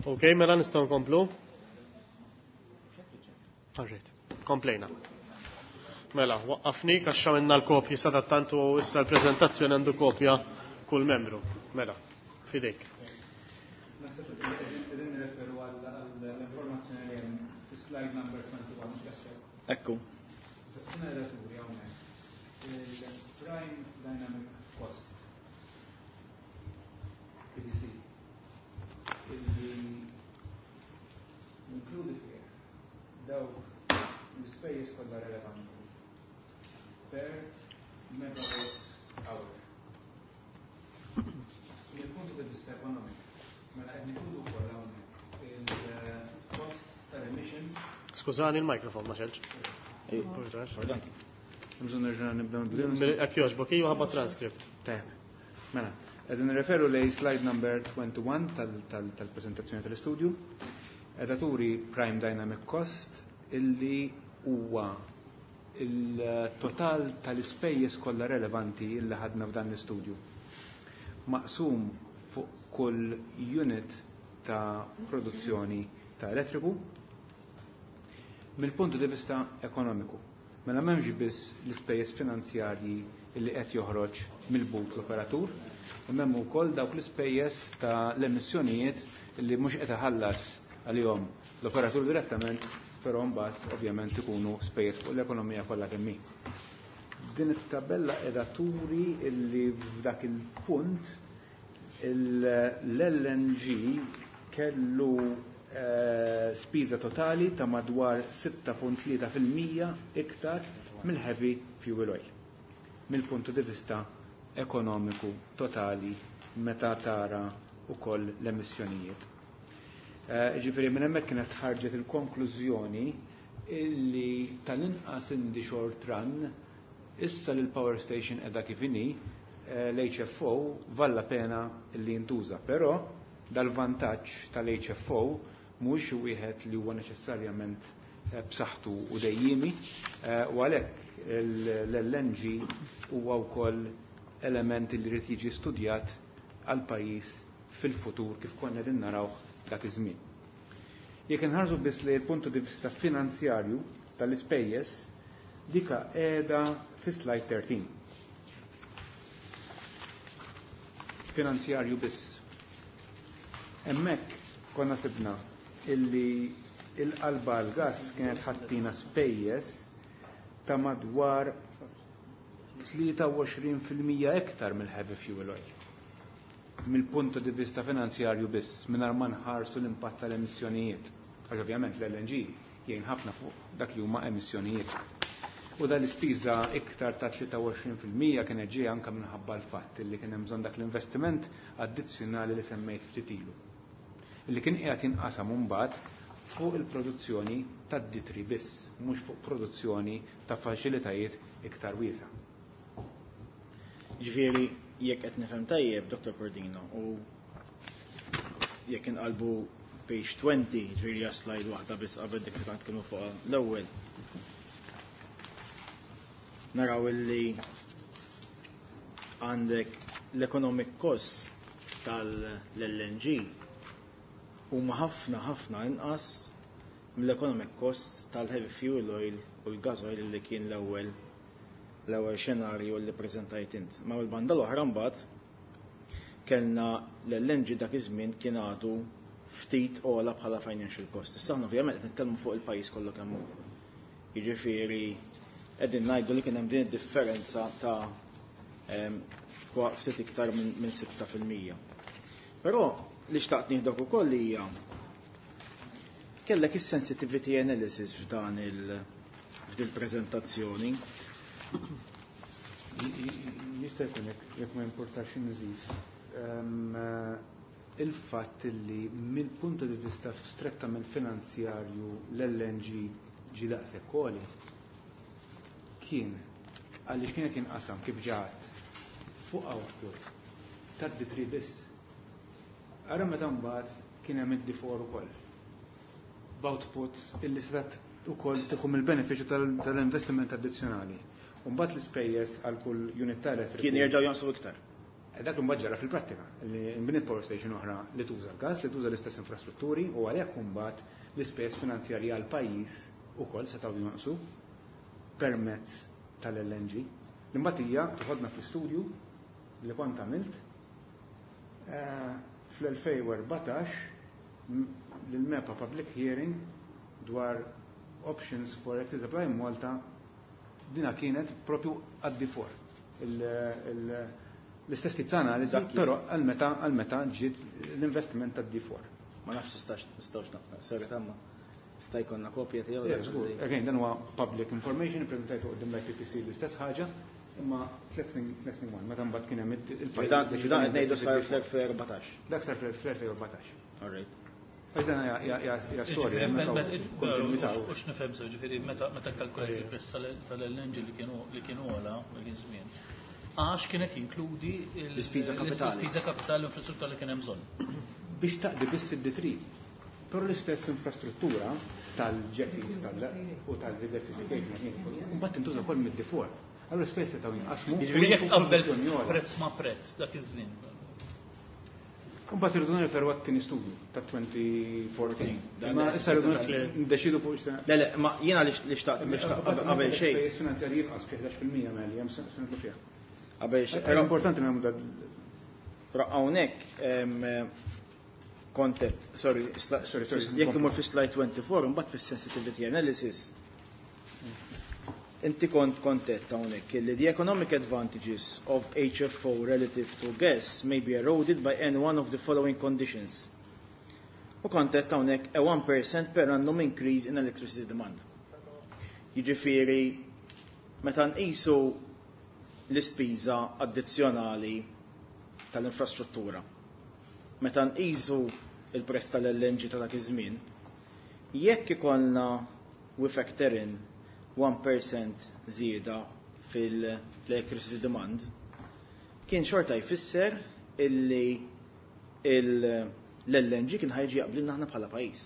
Ok, mela nistgħu nkomplu? Alright, komplejna. Mela, waqqafni għax għamilna l-kopji sadattant u issa l-preżentazzjoni għandu kopja kull membru. Mela, fidejk. Naħseb li qegħdin nirreferu għall-informazzjoni li hemm fi-slide number twenty-one, mhux hekk? Ekku. Sena relaturi hawnhekk. Il-Prime Dynamic Cost P D C illi jinkludi fih dawk l-ispejjeż kollha relevanti per megawatt hour. Mill-punt di vista ekonomik, mela qed ninkludu wkoll hawnhekk il-cost tal-emissions. Skużani, il-mikrofon ma xelx. Pardon. Bżonn nerġa' nibdew nbidlu. Hekk jogħġbok, iva ħabba transcript. Tajjeb. Mela, qegħdin nirreferu lej slide number twenty-one tal-preżentazzjoni tal-istudju. Qiegħda turi Prime Dynamic Cost illi huwa il-total tal-ispejjeż kollha relevanti illi ħadna f'dan l-istudju. Maqsum fuq kull unit ta' produzzjoni ta' elettriku mill-punt di vista ekonomiku. Mela m'hemmx biss l-ispejjeż finanzjarji illi qed joħroġ mill-but l-operatur, imma hemm ukoll dawk l-ispejjeż ta' l-emissjonijiet illi mhux qed iħallas għalihom l-operatur direttament, però mbagħad ovvjament ikunu spejjeż fuq l-ekonomija kollha kemm hi. Din it-tabella qiegħda turi illi f'dak il-punt l-L N G kellu, eh, spiża totali ta' madwar sitta punt tlieta fil-mija iktar mill-heavy fuel oil. Mill-punt di vista ekonomiku totali meta tara ukoll l-emissjonijiet. Eh, ġifieri minn hemmhekk kienet ħarġet il-konklużjoni illi tal-inqas in the short run issa li l-power station qiegħda kif inhi, eh, l-H F O valla pena li jintuża, però dal-vantaġġ tal-H F O mhuwiex wieħed li huwa neċessarjament, eh, b'saħħtu u dejjimi, eh, u għalhekk l-L N G huwa wkoll element li jrid jiġi studjat għal pajjiż fil-futur kif konna qegħdin narawh dak iż-żmien. Jekk inħarsu biss li l-punt di vista finanzjarju tal-ispejjeż, dika qiegħda fi slide thirteen. Finanzjarju biss. Hemmhekk konna sibna illi il-qalba għall-gas kienet ħattina spejjeż ta' madwar tlieta u għoxrin fil-mija iktar mill-heavy fuel oil. Mill-punt di vista finanzjarju biss, mingħajr ma nħarsu l-impatt tal-emissjonijiet. Għax ovvjament l-L N G jgħin ħafna fuq dak li huma emissjonijiet. U dan l-ispiża iktar ta' tlieta u għoxrin fil-mija kienet ġejja anke minħabba l-fatt li kien hemm bżonn dak l-investiment addizzjonali li semmejt ftit ilu. Li kien qiegħed jinqasam imbagħad fuq il-produzzjoni tad-ditri biss, mhux fuq produzzjoni ta' faċilitajiet iktar wiesa'. Ġifieri jekk qed nifhem tajjeb, Doktor Cordino, u jekk inqalbu page twenty, ġifieri hija slide waħda biss qabel dik li kont kienu fuqha l-ewwel. Naraw illi għandek l-economic cost tal-L N G huma ħafna ħafna inqas mill-economic cost tal-heavy fuel oil u l-gas oil li kien l-ewwel l-ewwel xenarju li preżentajt int. Ma l-banda l-oħra mbagħad kellna l-L N G dak iż-żmien kien għadu ftit ogħla bħala financial cost. Issa aħna ovvjament qed nitkellmu fuq il-pajjiż kollu kemm hu. Jiġifieri qegħdin ngħidu li kien hemm din id-differenza ta' em, ftit iktar minn, minn sitta fil-mija. Però li xtaqt nieħdok ukoll hija kellek is-sensitivity analysis f'dan il-, f'dil preżentazzjoni. Jista' jkun jekk, jekk ma importax inżid. Ehm, il-fatt li mill-punt di vista strettament finanzjarju l-L N G ġi daqshekk għoli kien għaliex kienet jinqasam kif ġaħat fuq output tad-D three biss. Ara meta mbagħad kien hemm id-D four ukoll. B'output illi setgħet ukoll tieħu mill-benefiċċju tal-, tal-investiment addizzjonali. U mbagħad l-ispejjeż għal kull unit ta' elettriku. Kien jerġgħu jonqsu iktar. Dak imbagħad ġara fil-prattika, li nbniet power station oħra li tuża l-gas, li tuża l-istess infrastrutturi u għalhekk imbagħad l-ispejjeż finanzjarji għal pajjiż ukoll setgħu jonqsu permezz tal-L N G. L-imbagħad hija toħodna fl-istudju li kont għamilt eh, fl-elfejn u erbatax l-MEPA Public Hearing dwar options for electricity supply in Malta. Dina kienet propju għad D four. L-istess tip ta' analiżi, però għal meta għal meta ġiet l-investiment ta' D four. Ma nafx tistax nistgħux nafna, sorry tamma. Sta jkollna kopja tiegħu? Yeah, żgur. Again, dan huwa public information, ippreżentajtu quddiem l-I P P C l-istess ħaġa, imma tliet one, meta mbagħad kien hemm il Dan qed ngħidu sar fl-elfejn u erbatax. Dak sar fl-elfejn u erbatax. All right. Għax dan hija storja. U x'nifhem sew, ġifieri meta meta kalkulajt il-prezz tal-L N G li kienu li kienu għola dak iż-żmien, għax kienet jinkludi l-ispiża kapitali. L-ispiża kapitali u infrastruttura li kien hemm bżonn. Biex taqdi biss id-D three. Però l-istess infrastruttura tal-jetties u tal-diversification mbagħad tintuża wkoll mid-D four. Allura l-ispejjeż setgħu jinqasmu. Ġifieri jekk tqabbel prezz ma' prezz dak iż-żmien. Mbagħad irridu nirreferu għat-tieni studju ta' elfejn u erbatax. Ma issa rridu ndeċidu fuq issa. Le, le, ma jiena li xtaqt li xtaqt qabel xejn. Spejjeż finanzjarji jinqas fi ħdax fil-mija meli hemm se nidħlu fiha. Qabel xejn. Però importanti nagħmlu dad. Però hawnhekk kontet, sorry, sorry, sorry, jekk imur fi slide twenty-four, mbagħad fis-sensitivity analysis. Inti kont kontet hawnhekk li the economic advantages of H F O relative to gas may be eroded by any one of the following conditions. U kontet hawnhekk a one percent per annum increase in electricity demand. Jiġifieri meta nqisu l-ispiża addizzjonali tal-infrastruttura, meta nqisu il-prezz tal-L N G ta' dak iż-żmien, jekk ikollna we factor in one percent żieda fil-electricity demand, kien xorta jfisser illi l-L N G kien ħa jiġi jaqblilna aħna bħala pajjiż.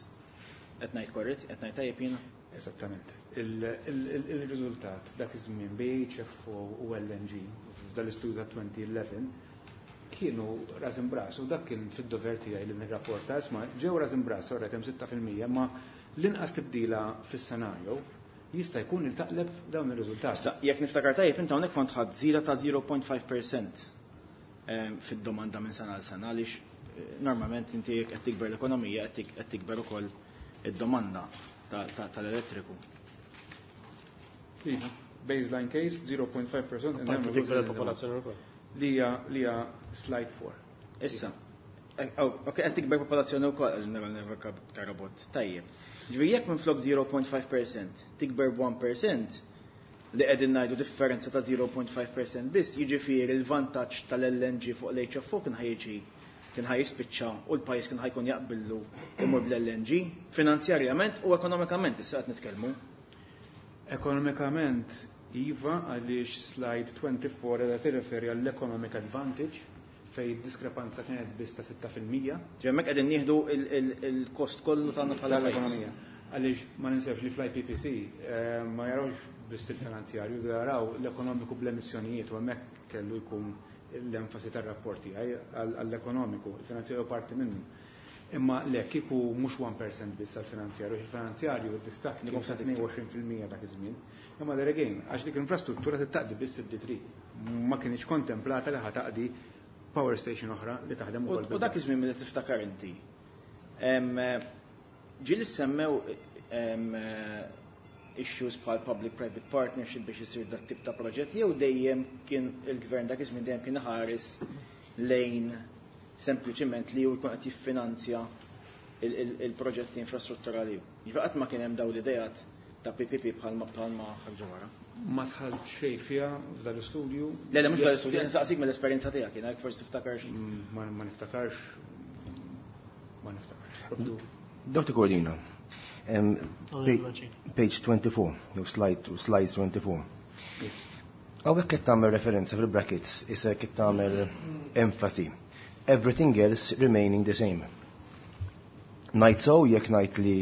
Qed ngħid korrett, qed ngħid tajjeb jiena? Esattament. Il-riżultat dak iż-żmien bejn H F O u L N G f'dal-istudju ta' elfejn u għaxra kienu ras imb'ras u dak kien fid-dover tiegħi li nirrapporta, isma', ġew ras imb'ras, orret hemm sitta fil-mija, ma l-inqas tibdila fis-scenario jista' jkun il taqleb dawn ir-riżultati. Issa, jekk niftakar tajjeb, inti hawnhekk kont ħadd żieda ta' zero punt five percent fid-domanda minn sena għal sena, għaliex eh, normalment inti jekk qed tikber l-ekonomija qed tikber ukoll id-domanda tal-elettriku. Iva, baseline case zero point five percent. Parti tikber il-popolazzjoni wkoll. Li hija li hija slide four. Issa, eh, oh, ok, qed tikber popolazzjoni wkoll karabot. Tajjeb. Ġifieri jekk minflok zero punt five percent tikber one percent, li qegħdin ngħidu differenza ta' zero punt five percent biss, jiġifieri l-vantaġġ tal-L N G fuq l-H F O kien ħa jiġi kien ħa jispiċċa u l-pajjiż kien ħa jkun jaqbillu imur bl-L N G finanzjarjament u ekonomikament issa qed nitkellmu. Ekonomikament iva, għaliex slide twenty-four qed tirreferi għall-economic advantage fej diskrepanza kienet biss ta' sitta fil-mija. Ġi hemmhekk qegħdin nieħdu il-kost kollu tagħna bħala tal-ekonomija. Għaliex ma ninsewx li fl-I P P C eh, ma jarawx biss il-finanzjarju, jaraw l-ekonomiku bl-emissjonijiet u hemmhekk kellu jkun l-enfasi tar-rapporti għall-ekonomiku, il-finanzjarju parti minnu. Imma le, kieku mhux one percent biss għal-finanzjarju, il-finanzjarju id-distakk kien ta' tnejn u għoxrin fil-mija dak iż-żmien. Imma there again, għax dik l-infrastruttura taqdi biss id-D three. Ma kienx kontemplata li ħa taqdi power station oħra li taħdem ukoll. U dak iż-żmien li tiftakar inti, ġieli semmew issues bħal public-private partnership biex isir dat tip ta' proġett, jew dejjem kien il-gvern dak iż-żmien dejjem kien ħares lejn sempliċiment li hu jkun qed jiffinanzja il-proġetti infrastrutturali? Jiġifieri qatt ma kien hemm dawn l-idejat ta' P P P bħalma bħalma ħarġu wara? Ma dħalt xejn fiha f'dal istudju. Le, le, mhux f'dal istudju, nsaqsik mill-esperjenza tiegħek, jiena jekk forsi tiftakarx. Mm, ma niftakarx. Ma niftakarx. Doctor Cordina, um, page twenty-four, no, slide, slide twenty-four. Hawnhekk qed tagħmel referenza fil-brackets, issa qed tagħmel enfasi. Everything else remaining the same. Ngħid so jekk ngħid li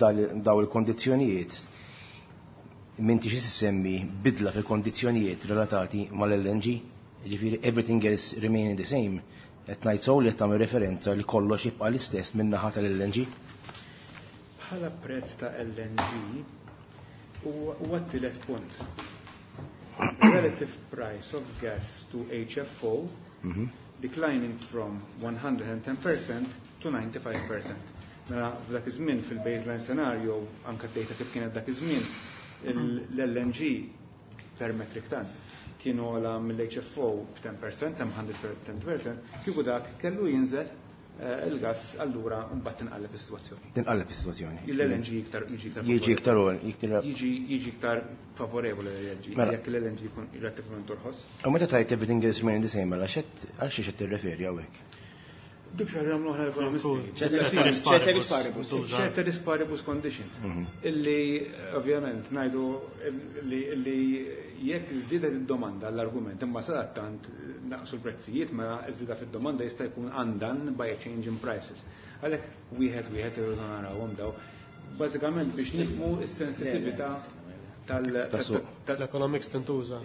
daw il-kondizzjonijiet m'intix semmi bidla fil-kondizzjonijiet relatati mal-L N G? Jiġifieri everything else remaining the same, qed ngħid sew li qed tagħmel referenza li kollox jibqa' l-istess min-naħa tal-L N G? Bħala prezz ta' L N G huwa t-tielet punt. Relative price of gas to H F O Mhm. declining from one hundred and ten percent to ninety-five percent. Mela f'dak iż-żmien fil-baseline scenario, anke d-data kif kienet dak iż-żmien, l-L N G per metric ton kienu ogħla mill-H F O b'ten percent, one hundred ten percent, kieku dak kellu jinżel eh, il-gas, allura mbagħad tinqalleb is-sitwazzjoni. Tinqalleb is-sitwazzjoni. L-L N G iktar jiġi iktar Jiġi iktar iktar jiġi jiġi iktar favorevoli l-L N G, Mela. jekk l-L N G jkun relattivament orħos. U meta tgħid everything else remaining the same, mela xed għal xiex qed tirreferi hawnhekk? Dik xi ħaġa jagħmlu aħna l-ekonomisti. Ceteris Ceteris paribus. Tuża. Ceteris paribus condition. Illi, ovvjament, ngħidu li li jekk żdiedet id-domanda l-argument, imma sadattant naqsu l-prezzijiet, ma żieda fid-domanda jista' jkun undone by a change in prices. Għalhekk wieħed wieħed irridu narawhom daw. Bażikament biex nifhmu s-sensitività tal Tas-suq. tal- L-economics tintuża.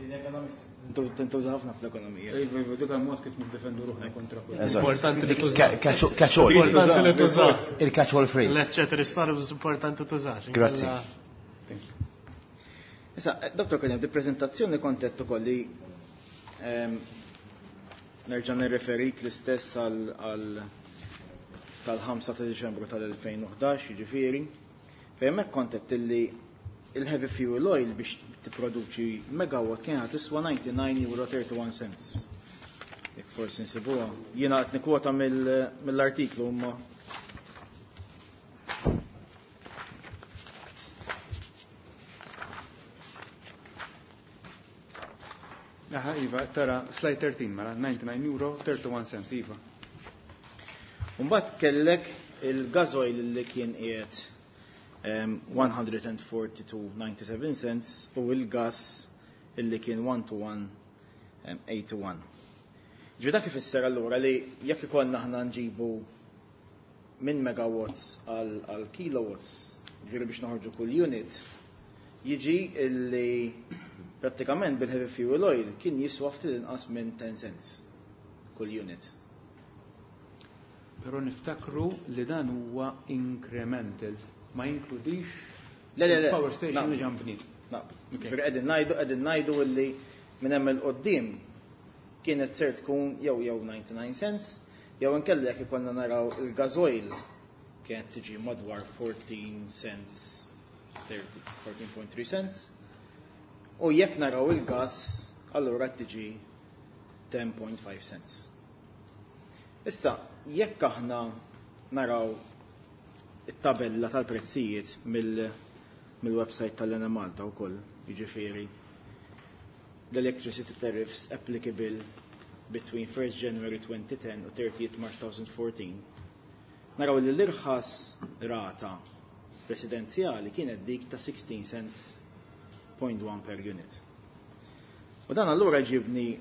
Tintuża ħafna fl-ekonomija. Iva, iva, dik mod kif niddefendu ruħna kontra kull. Eżatt. Importanti li Dik tuża. catch- Catch-all. Importanti li tuża. Il-catch-all phrase. L-ceteris paribus importanti tużax. Grazzi. Thank you. Issa, eh, Dottor Kelliem, di prezentazzjoni kont qed ukoll li ehm, nerġa' nirreferik l-istess għal għal tal-ħamsa ta' Diċembru tal-elfejn u ħdax, jiġifieri, fejn hemmhekk kont qed illi il-heavy fuel oil biex tipproduċi megawatt kienet tiswa disgħa u disgħin euro thirty-one cents. Jekk forsi nsibuha. Jiena qed nikkwota mill- mill-artiklu imma Aha, iva, tara, slide thirteen, mela, ninety-nine euro, thirty-one cents, iva. Mbagħad kellek il-gasoil li kien qiegħed um, one hundred forty-two ninety-seven cents u il-gas illi kien one to one eighty-one. Ġi dak ifisser allura li jekk ikollna aħna nġibu minn megawatts għal għal kilowatts, ġifieri biex noħorġu kull unit, jiġi illi prattikament bil-heavy fuel oil kien jiswa ftit inqas minn ten cents kull unit. Però niftakru li dan huwa incremental, ma jinkludix Le, le, le. il-power station Na. li ġa nbniet. Na, Ok. ġifieri qegħdin ngħidu qegħdin ngħidu illi minn hemm 'il quddiem kienet ser tkun jew jew ninety-nine cents jew inkella jekk ikollna naraw il-gasoil kienet tiġi madwar fourteen cents thirty fourteen point three cents u jekk naraw il-gas allura tiġi ten point five cents. Issa, jekk aħna naraw it-tabella tal-prezzijiet mill mill-website tal-Enemalta u koll, jiġifieri the electricity tariffs applicable between first January twenty ten u thirtieth March twenty fourteen, naraw li l-irħas rata residenzjali kienet dik ta' sixteen cents point one per unit. U dan allura ġibni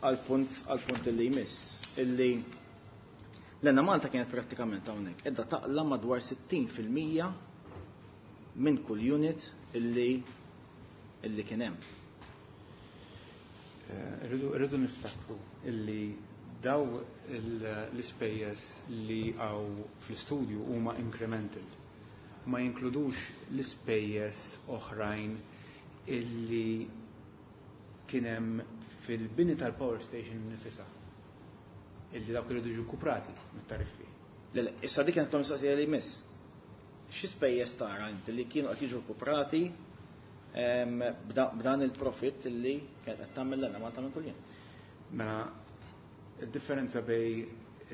għal punt għal punt illi jmiss, illi l-Enemalta kienet prattikament hawnhekk qiegħda taqla madwar sittin fil-mija minn kull unit illi illi kien hemm. Eh, Rridu rridu niftakru illi daw il- l-ispejjeż li hawn fl-istudju huma incremental. Ma jinkludux l-ispejjeż oħrajn illi kien hemm fil-bini tal-power station nifisha. Illi dawk iridu jiġu kuprati mit-tariffi. Le, le, issa dik kienet mistoqsija li jmiss. Xi spejjeż tara inti li kienu qed jiġu kuprati em, b'da- b'dan il-profit illi kienet qed tagħmel l-Enemalta minn kuljum? Mela, il-differenza bejn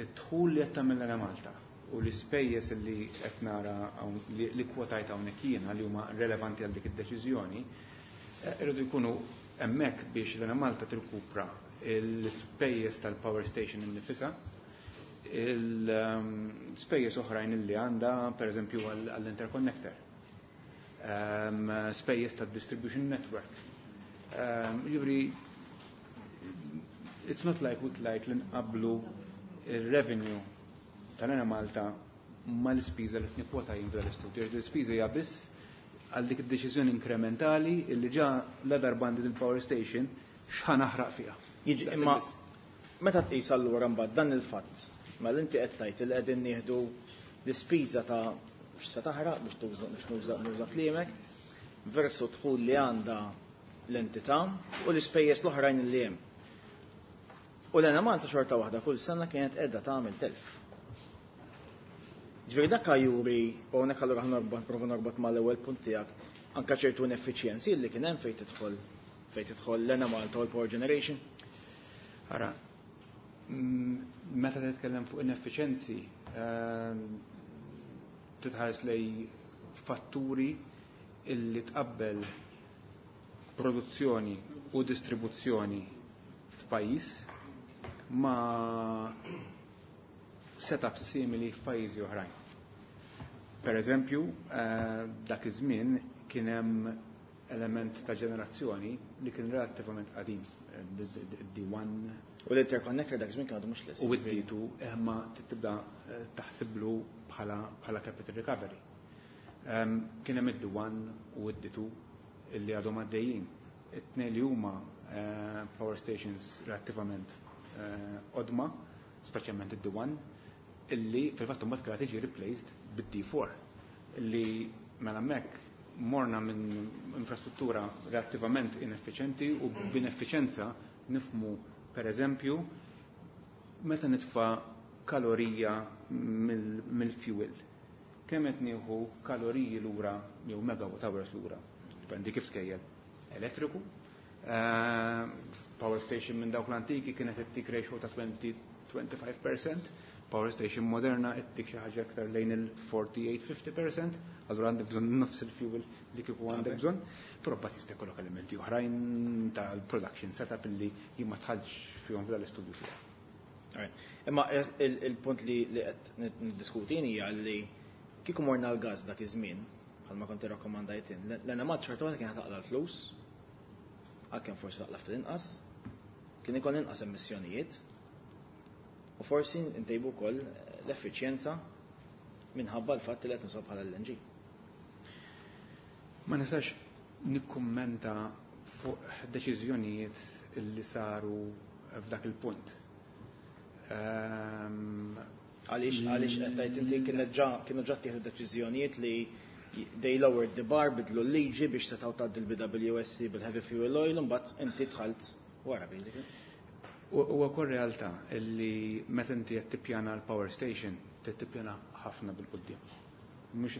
id-dħul li qed tagħmel l-Enemalta u l-ispejjeż li qed nara hawn- li li kwotajt hawnhekk jiena li huma relevanti għal dik id-deċiżjoni, eh, irridu jkunu hemmhekk biex l-Enemalta tirkupra l-ispejjeż tal-power station innifisha, il-spejjeż oħrajn li għandha, pereżempju għall-interconnector, um, spejjeż tad-distribution network. Um, Jiġifieri, it's not like with like li nqablu il-revenue tal-Enemalta mal-ispiża li tnikwota jien f'dan l-istudju. L-ispiża hija biss għal dik id-deċiżjoni inkrementali illi ġa la darba għandi il-power station x'ħa naħraq fiha. Jiġi imma meta tqis allura mbagħad dan il-fatt, mela inti qed tgħid li qegħdin nieħdu l-ispiża ta' x'se taħraq biex tuża biex nuża nuża kliemek versu dħul li għandha l-entità u l-ispejjeż l-oħrajn li hemm. U l-Enemalta xorta waħda kull sena kienet qiegħda tagħmel telf. Ġifieri dak juri, u hawnhekk allura ħa norbot prova norbot mal-ewwel punt tiegħek, anke ċertu ineffiċjenzi li kien hemm fejn tidħol fejn tidħol l-Enemalta u l-power generation. Ara, mm, meta titkellem fuq ineffiċenzi, ehm, titħares lej fatturi illi tqabbel produzzjoni u distribuzzjoni f'pajjiż ma' setup simili f'pajjiżi oħrajn. Per eżempju, eh, dak iż-żmien kien hemm element ta' ġenerazzjoni li kien relattivament qadim, eh, D one. U l-interconnector dak iż-żmien kien għadu mhux lest. U d D two imma tibda eh, taħsiblu bħala bħala capital recovery. Um, Kien hemm id-D one u d D two illi għadhom għaddejjin. It-tnejn li huma eh, power stations relattivament eh, qodma, speċjalment id-D one, illi fil-fatt imbagħad kellha tiġi replaced bid-D four, illi mela hemmhekk morna minn infrastruttura relattivament ineffiċenti, u b'ineffiċenza nifhmu, per eżempju, meta nitfa kalorija mill-fuel. Kemm qed nieħu kaloriji lura jew megawatt hours lura. Dipendi kif tkejjel. Elettriku, eh, power station minn dawk l-antiki kienet ittik ratio ta' twenty twenty-five percent, power station moderna ittik xi ħaġa aktar lejn il-forty-eight fifty percent, allura għandek bżonn nofs il-fuel li kieku għandek bżonn, però mbagħad jista' jkollok elementi oħrajn tal-production setup illi jien ma dħaltx fihom f'dal-istudju tiegħi. Alright. Imma il- il-punt li li qed niddiskutin hija li kieku morna l-gas dak iż-żmien, bħalma kont irrakkomandajt, l-Enemalta xorta waħda kienet taqla l-flus, għalkemm forsi taqla ftit inqas, kien ikun inqas emissjonijiet, u forsi ntejbu wkoll l-effiċjenza minħabba l-fatt li qed nużaw bħala L N G. Ma nistax nikkummenta fuq deċiżjonijiet illi saru f'dak il-punt. Ehm, Għaliex għaliex qed tgħid inti kienet ġa kienu ġa ttieħdu deċiżjonijiet li they lowered the bar, bidlu l-liġi biex setgħu tgħaddi l-B W S C bil-heavy fuel oil, u mbagħad inti dħalt wara basically. U huwa wkoll realtà illi meta inti qed tippjana l-power station, trid tippjana ħafna bil-quddiem. Mhux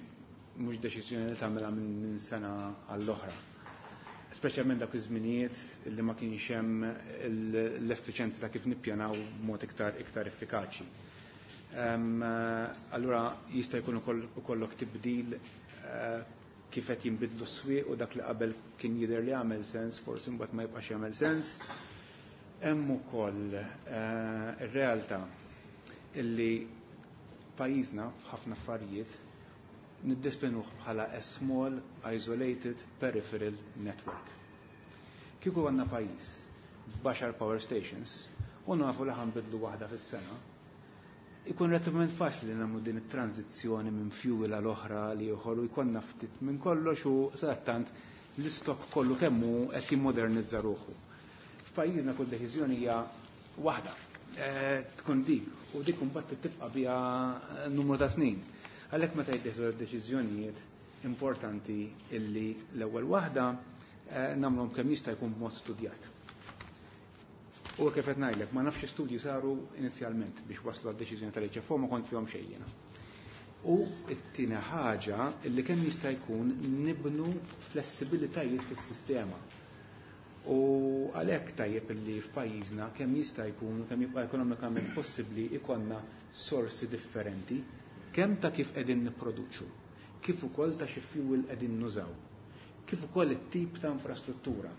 mhux deċiżjoni li tagħmilha minn minn sena għall-oħra. Speċjalment dak iż-żminijiet illi ma kienx hemm l-effiċenza ta' kif nippjanaw b'mod iktar iktar effikaċi. Ehm, Allura jista' jkun ukoll ukollok tibdil eh, kif qed jinbidlu s-swieq u dak li qabel kien jidher li għamel sens, forsi mbagħad ma jibqax jagħmel sens. Hemm ukoll eh, ir-realtà illi pajjiżna f'ħafna affarijiet niddespinuh bħala a small isolated peripheral network. Kieku għandna pajjiż b'għaxar power stations u nafu li ħa nbiddlu waħda fis-sena, ikun relativament faċli li nagħmlu din it-tranzizzjoni minn fuel għal oħra li ieħor u jkollna ftit minn kollox u sadattant l-istok kollu kemm hu qed jimmodernizza ruħu. F'pajjiżna kull deċiżjoni hija waħda. Eh, tkun dik u dik imbagħad tibqa' biha numru ta' snin. Għalhekk meta jittieħdu deċiżjonijiet importanti illi l-ewwel waħda eh, nagħmluhom kemm jista' jkun b'mod studjat. U kif qed ngħidlek, ma nafx studji saru inizjalment biex waslu għad-deċiżjoni tal-H F O, ma kont fihom xejn jiena. U t-tieni ħaġa illi kemm jista' jkun nibnu flessibilitajiet fis-sistema. U għalhekk tajjeb illi f'pajjiżna kemm jista' jkun, kemm jibqa' ekonomikament possibbli, ikollna sorsi differenti kemm ta' kif qegħdin nipproduċu, kif ukoll ta' xi fuel qegħdin nużaw, kif ukoll it-tip ta' infrastruttura.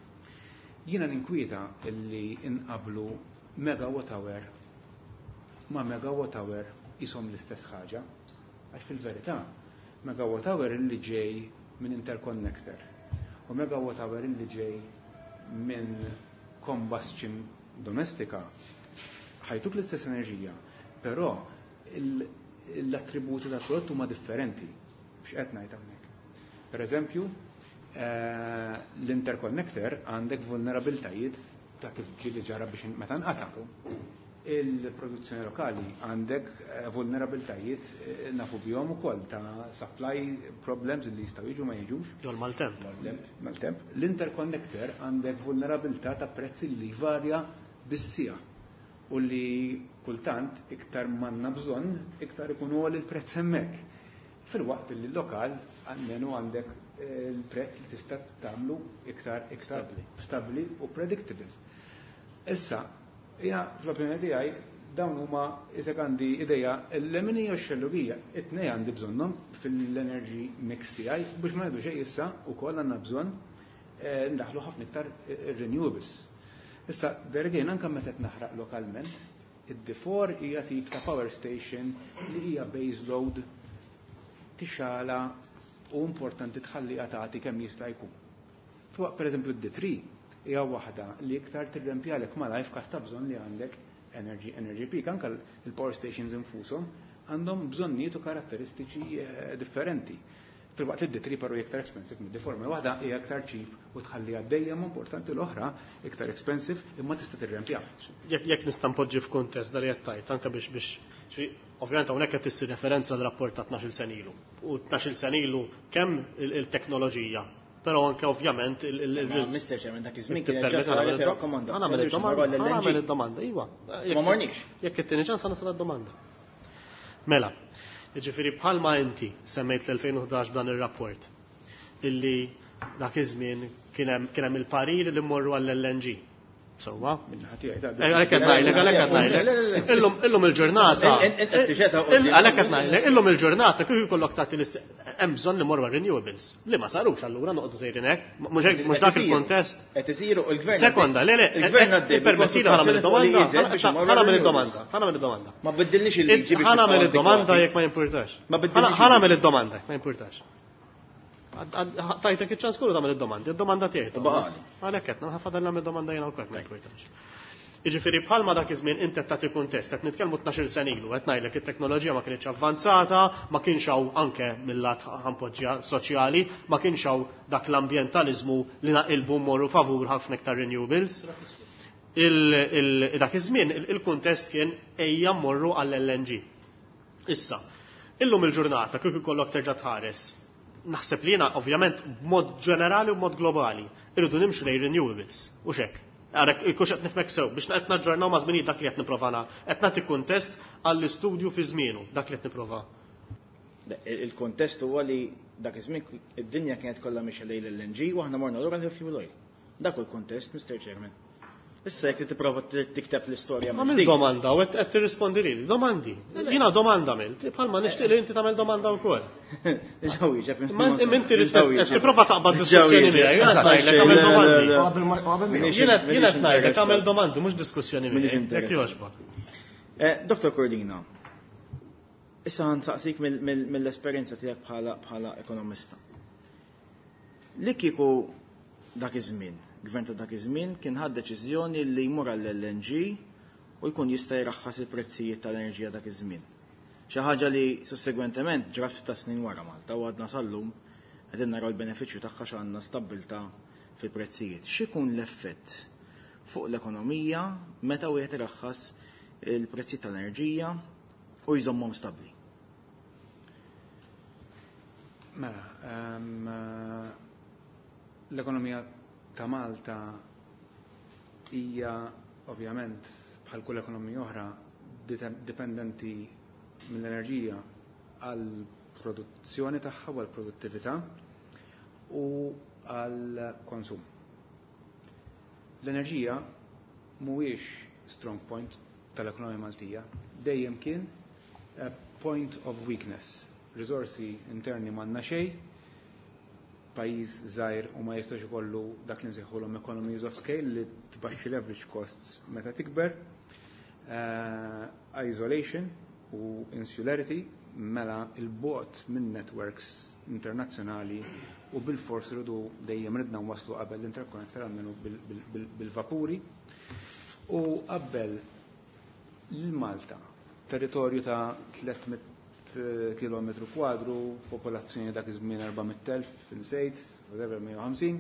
Jiena ninkwieta illi inqablu megawatt hour ma' megawatt hour qishom l-istess ħaġa, għax fil-verità megawatt hour illi ġej minn interconnector u megawatt hour illi ġej minn combustion domestika ħa jtuk l-istess enerġija, però l-attributi tal prodott huma differenti. X'qed ngħid hawnhekk? Per eżempju, eh, l-interconnector għandek vulnerabilitajiet ta' kif ġieli ġara biex meta nqata'. Il-produzzjoni lokali għandek eh, vulnerabiltajiet eh, nafu bihom ukoll ta' supply problems li jistgħu jiġu ma jiġux. Jol maltemp. Maltemp, maltemp. L-interconnector għandek vulnerabilità ta' prezzi li varja bis-siegħa u li kultant iktar m'għandna bżonn, iktar ikun għoli l-prezz hemmhekk. Fil-waqt li l-lokal almenu għandek eh, il-prezz li tista' tagħmlu iktar iktar stabbli u predictable. Issa, jina fl-opinjoni tiegħi dawn huma isek għandi ideja l-leminija u x-xellugija, it-tnej għandi bżonnhom fil-energy mix tiegħi biex ma ngħidu xejn issa wkoll għandna bżonn eh, ndaħlu ħafna iktar eh, renewables. Issa, there again, anke meta qed naħraq lokalment, id-D four hija tip ta' power station li hija base load tixala u importanti tħalli tagħti kemm jista' jkun. Fuq pereżempju d-D three hija waħda li iktar tirrempjalek malajr f'każ ta' bżonn li għandek energy, energy peak. Anke il-power stations infushom għandhom bżonnijiet u karatteristiċi, eh, differenti. Fil-waqt li d-D three però hija iktar expensive mid-D four, ma waħda hija iktar cheap u tħalli għaddejja, ma importanti l-oħra iktar expensive imma tista' tirrempja. Jekk, jekk nista' npoġġi f'kuntest dal qed tgħid, anke biex, biex xi, ovvjament hawnhekk qed issir referenza għal rapport ta' tnax-il sena ilu. U tnax-il sena ilu kemm il-, il-teknoloġija, però anke ovvjament il-, il-, il- Ma, Mister Chairman, dak iż-żmien Jekk kien ġa tippermetti, saret ħa nagħmel rakkomandazzjoni ħa nagħmel biex id-domanda, marru għall-L N G. ħa nagħmel id-domanda, iva. Ma morniex. Jekk it-tieni ċans ħa nasal id-domanda. Mela, jiġifieri bħalma inti semmejt l-elfejn u ħdax b'dan ir-rapport illi dak iż-żmien kien hemm, kien hemm il-parir li mmorru għall-L N G. Sewwa? Minna ħati għajta. Eh, għalhekk qed ngħidlek, għalhekk qed ngħidlek. Illum, illum il-ġurnata. In-, in-, in-, in-, in-, Għalhekk qed ngħidlek, illum il-ġurnata kif ikollok tagħti l-ist-, hemm bżonn li morru għal renewables. Li ma sarux allura noqogħdu sejrin hekk. Mhux hekk, mhux dak il-kontest. Qed isiru u l-gvern Sekonda, le, le, il-gvern għaddej ippermettili ħa nagħmel bil-konsultazzjoni id-domanda, fuq l-I Z biex imorru ħa nagħmel renewables. id-domanda, ħa nagħmel id-domanda. Ma biddilniex il-liġi biex Ħa nagħmel nibqgħu id-domanda antikwati. jekk ma jimpurtax. Ma biddilniex Ħa nagħmel il-liġi. id-domanda jekk ma jimpurtax. Tajtek iċ-ċans kollu tagħmel id-domandi, id-domanda tiegħi. U baqali. Għalhekk qed nħafadal nagħmel domanda jiena wkoll ma jimpurtax. Jiġifieri bħalma dak iż-żmien inti qed tagħti kuntest, qed nitkellmu tnax-il sena ilu, qed ngħidlek it-teknoloġija ma kinitx avvanzata, ma kienx hawn anke mill-lat ħampoġġja soċjali, ma kienx hawn dak l-ambjentaliżmu li naqilbu mmorru favur ħafna iktar renewables. Il, il, dak iż-żmien il-, il-kuntest kien ejja mmorru għall-L N G. Issa, illum il-ġurnata kif ikollok terġa' tħares, naħseb li jiena ovvjament b'mod ġenerali u b'mod globali irridu nimxu lejn renewables, u xek. Għarek, ikux qed nifhmek sew, biex qed naġġornaw ma' żminijiet dak li qed nipprova na-, qed nagħti kuntest għall-istudju fi żmienu, dak li qed nipprova. Le, il-, il-kontest huwa li dak iż-żmien id-dinja kienet kollha mixja lejn l-L N G u aħna morna lura l-fuel oil. Dak hu l-kontest, Mister Chairman. Issa jekk tipprova t-, tikteb l-istorja Għamil mill-ġdid. domanda u qed, qed tirrispondi lili. Domandi. Jiena domanda għamilt, bħalma nixtieq li inti tagħmel domanda wkoll. Diġà wieġeb, Ma insomma. inti trid Diġà wieġeb. qed tipprova taqbad Diġà diskussjoni wieġeb. miegħi, jiena qed ngħidlek Le, għamel le, domandi. le, le. Qabel ma-, qabel ma- Minix Jiena qed minix ngħidlek interessat. għamel domandi, mhux diskussjoni Minix miegħi. Jekk interessat. jogħġbok. Eh, Doktor Cordina, issa ħansaqsik mill-, mill-, mill-esperjenza tiegħek bħala, bħala ekonomista. Li kieku dak iż-żmien, gvern ta' dak iż-żmien kien ħad deċiżjoni li jmur għall-L N G u jkun jista' jraħħas il-prezzijiet tal-enerġija dak iż-żmien. Xi ħaġa li sussegwentement ġrat ftit ta' snin wara Malta u għadna sal-lum qegħdin naraw l-benefiċċju tagħha x'għandna stabbiltà fil-prezzijiet. X'ikun l-effett fuq l-ekonomija meta wieħed iraħħas il-prezzijiet tal-enerġija u jżommhom stabbli? Mela, ehm, l-ekonomija ta' Malta hija ovvjament bħal kull ekonomija oħra dite-, dipendenti mill-enerġija għal produzzjoni tagħha u għal produttività u għal konsum. L-enerġija mhuwiex strong point tal-ekonomija Maltija, dejjem kien a point of weakness. Risorsi interni m'għandna xejn, pajjiż żgħir u ma jistax ikollu dak li nsejħulhom economies of scale li tbaxxi leverage costs meta tikber, eh, isolation u insularity mela il-bot minn networks internazzjonali u bil-fors rridu dejjem ridna nwaslu qabel l-interconnector għalmenu bil-, bil-, bil-, bil-vapuri u qabel l-Malta, territorju ta' tliet mitt kilometru kwadru, popolazzjoni dak iż-żmien erba' mitt elf, insejt, whatever, mija u ħamsin,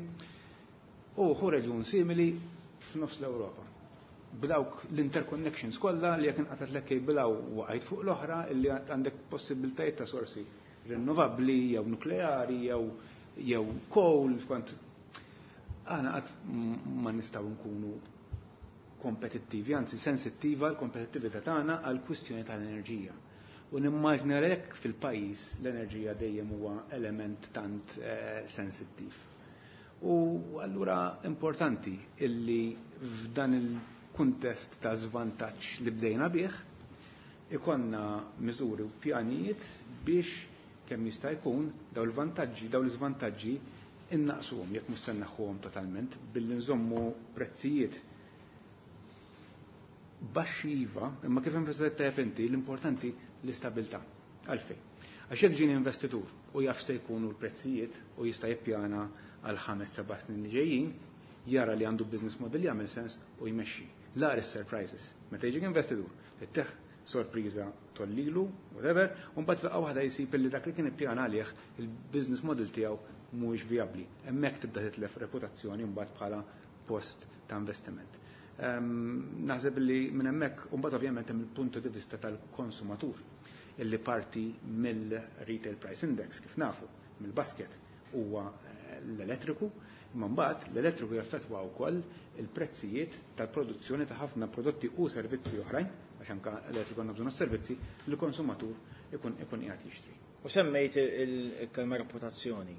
u hu reġun simili F'nofs l-Ewropa. B'dawk l-interconnections kollha li jekk inqatgħetlek cable waqajt fuq l-oħra, illi għandek possibiltajiet ta' sorsi rinnovabbli jew nukleari jew jew coal kont aħna qatt ma nistgħu nkunu kompetittivi, anzi sensittiva l-kompetittività tagħna għal kwistjoni tal-enerġija. U nimmaġna hekk fil-pajjiż l-enerġija dejjem huwa element tant eh, sensittiv. U allura importanti illi f'dan il-kuntest ta' żvantaġġ li bdejna bih, ikonna miżuri u pjanijiet biex kemm jista' jkun daw il-vantaġġi, daw l-iżvantaġġi innaqsuhom jekk mhux se nneħħuhom totalment billi nżommu prezzijiet baxxi iva, imma kif enfasizzajt tajjeb inti, l-importanti l-istabilità. Għalfejn? Għax jekk ġieni investitur u jaf se jkunu l-prezzijiet u jista' jippjana għal ħames seba' snin li ġejjin, jara li għandu business model jagħmel sens u jmexxi. L-agħar surprises. Meta jiġik investitur, ittih sorpriża tollilu, whatever, u mbagħad f'daqqa waħda jsib li dak li kien ippjana għalih il-business model tiegħu mhuwiex vijabbli. Hemmhekk tibda titlef reputazzjoni mbagħad bħala post ta' investiment. Ehm, naħseb li minn hemmhekk u mbagħad ovvjament hemm il-punto di vista tal-konsumatur illi parti mill-retail price index kif nafu mill-basket huwa eh, l-elettriku, imma mbagħad l-elettriku jaffettwa wkoll il-prezzijiet tal-produzzjoni ta' ħafna prodotti u servizzi oħrajn, għax anke l-elettriku għandna bżonn servizzi li l-konsumatur ikun ikun qiegħed jixtri. U semmejt il-kelma reputazzjoni.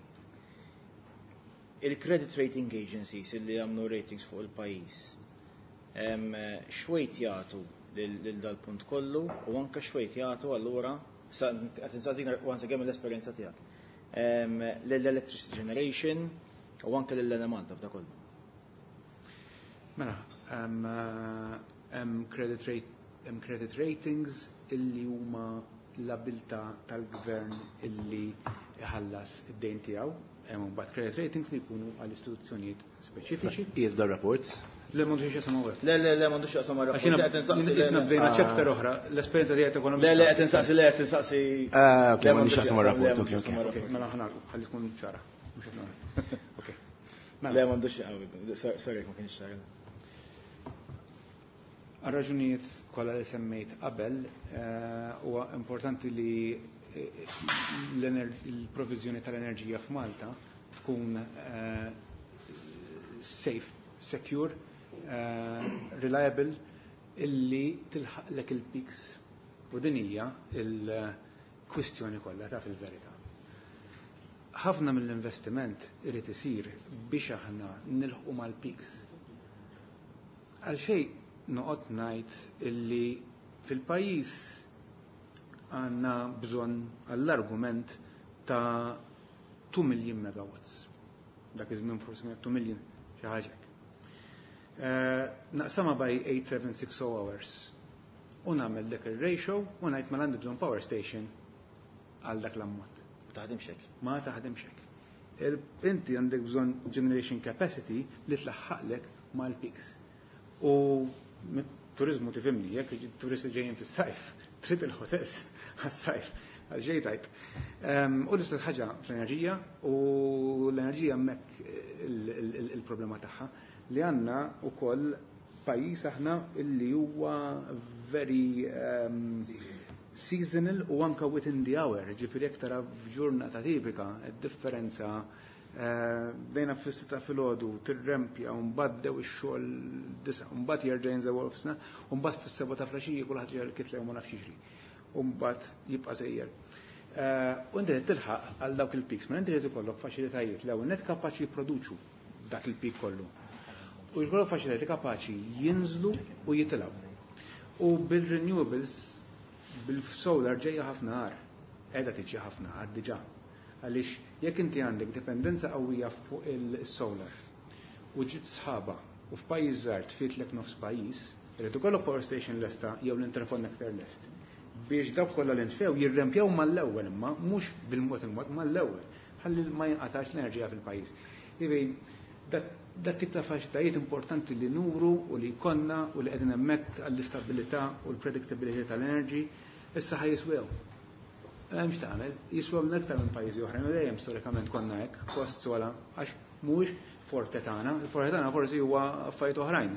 Il-credit rating agencies li għamlu ratings fuq il-pajjiż, x'weight jagħtu lil dal-punt kollu u anke x'weight jagħtu allura, qed insaqsik once again mill-esperjenza tiegħek, lill-electricity generation u anke lill-Enemalta f'da kollu? Mela, hemm credit rate hemm credit ratings illi huma l-abilità tal-gvern illi iħallas id-dejn tiegħu, hemm mbagħad credit ratings li jkunu għal istituzzjonijiet speċifiċi. Qiegħed dar rapport. Le, m'għandux x'jaqsam hawnhekk. Le, le, le, m'għandux x'jaqsam mar Għax jiena jisna bdejna chapter oħra, l-esperjenza tiegħek ekonomista. Le, le, qed insaqsi, le, qed insaqsi. Ah, ok, m'għandux x'jaqsam mar-rapport, ok, ok. Ok, mela ħa nagħlqu, ħalli tkun ċara. Mhux qed nagħmel. Ok. Mela. Le, m'għandux, sorry, ma kienx ċara. Għal raġunijiet kollha li semmejt qabel, eh, huwa importanti li eh, l-provizjoni tal-enerġija f'Malta tkun eh, safe, secure, reliable, illi tilħaqlek il-peaks. U din hija il-kwistjoni kollha ta' fil-verità. Ħafna mill-investiment irid isir biex aħna nilħqu mal-peaks. Għal xejn noqgħod ngħid illi fil-pajjiż għandna bżonn għall-argument ta' two million megawatts. Dak iż-żmien forsi kienet two million xi ħaġa hekk. Eh, naqsama by eight seven six zero hours u nagħmel dak ir-ratio u ngħid mela għandi bżonn power station għal dak l-ammont. Ma taħdimx hekk. Ma taħdimx hekk. Inti għandek bżonn generation capacity li tlaħħaqlek mal-peaks. U mit-turizmu tifhimni, jekk turisti ġejjin fis-sajf, trid il-hotels għas-sajf, għal tajt. U l-istess ħaġa fl-enerġija, u l-enerġija hemmhekk il-problema tagħha li għandna ukoll pajjiż aħna illi huwa very um, seasonal u anka within the hour, ġifieri jekk tara f'ġurnata tipika, id-differenza bejna fis-sitta filgħodu tirrempja u mbagħad bdew ix-xogħol disa, u mbagħad jerġa' jinżel nofsna, u mbagħad fis-sebgħa ta' filgħaxija kulħadd ġej l-kitla u ma nafx jiġri. U mbagħad jibqa' sejjer. U inti tilħaq għal dawk il-peaks, ma inti trid ikollok faċilitajiet l-ewwel net kapaċi jipproduċu dak il-peak kollu. U jkollok faċilitajiet kapaċi jinżlu u jitilgħu. U bil-renewables, bil-solar ġejja ħafna agħar, qiegħda tiġi ħafna agħar diġà. Għaliex jekk inti għandek dipendenza qawwija fuq il-solar u ġiet sħaba u f'pajjiż żgħar tfitlek nofs pajjiż, irid ikollok power station lesta jew l-interconnector lest biex dawk kollha li ntfew jirrempjaw mal-ewwel, imma mhux bil-mod il-mod, mal-ewwel, ħalli ma jinqatax l-enerġija fil-pajjiż. Jiġifieri dat tip ta' faċilitajiet importanti li nuru u li jkollna u li qegħdin hemmhekk għall-istabilità u l-predictability tal-energy, issa ħa jiswew. Hemmx tagħmel, jiswew aktar minn pajjiżi oħrajn u dejjem storikament konna hekk, costs wala, għax mhuwiex forte tagħna, il-forte tagħna forsi huwa affarijiet oħrajn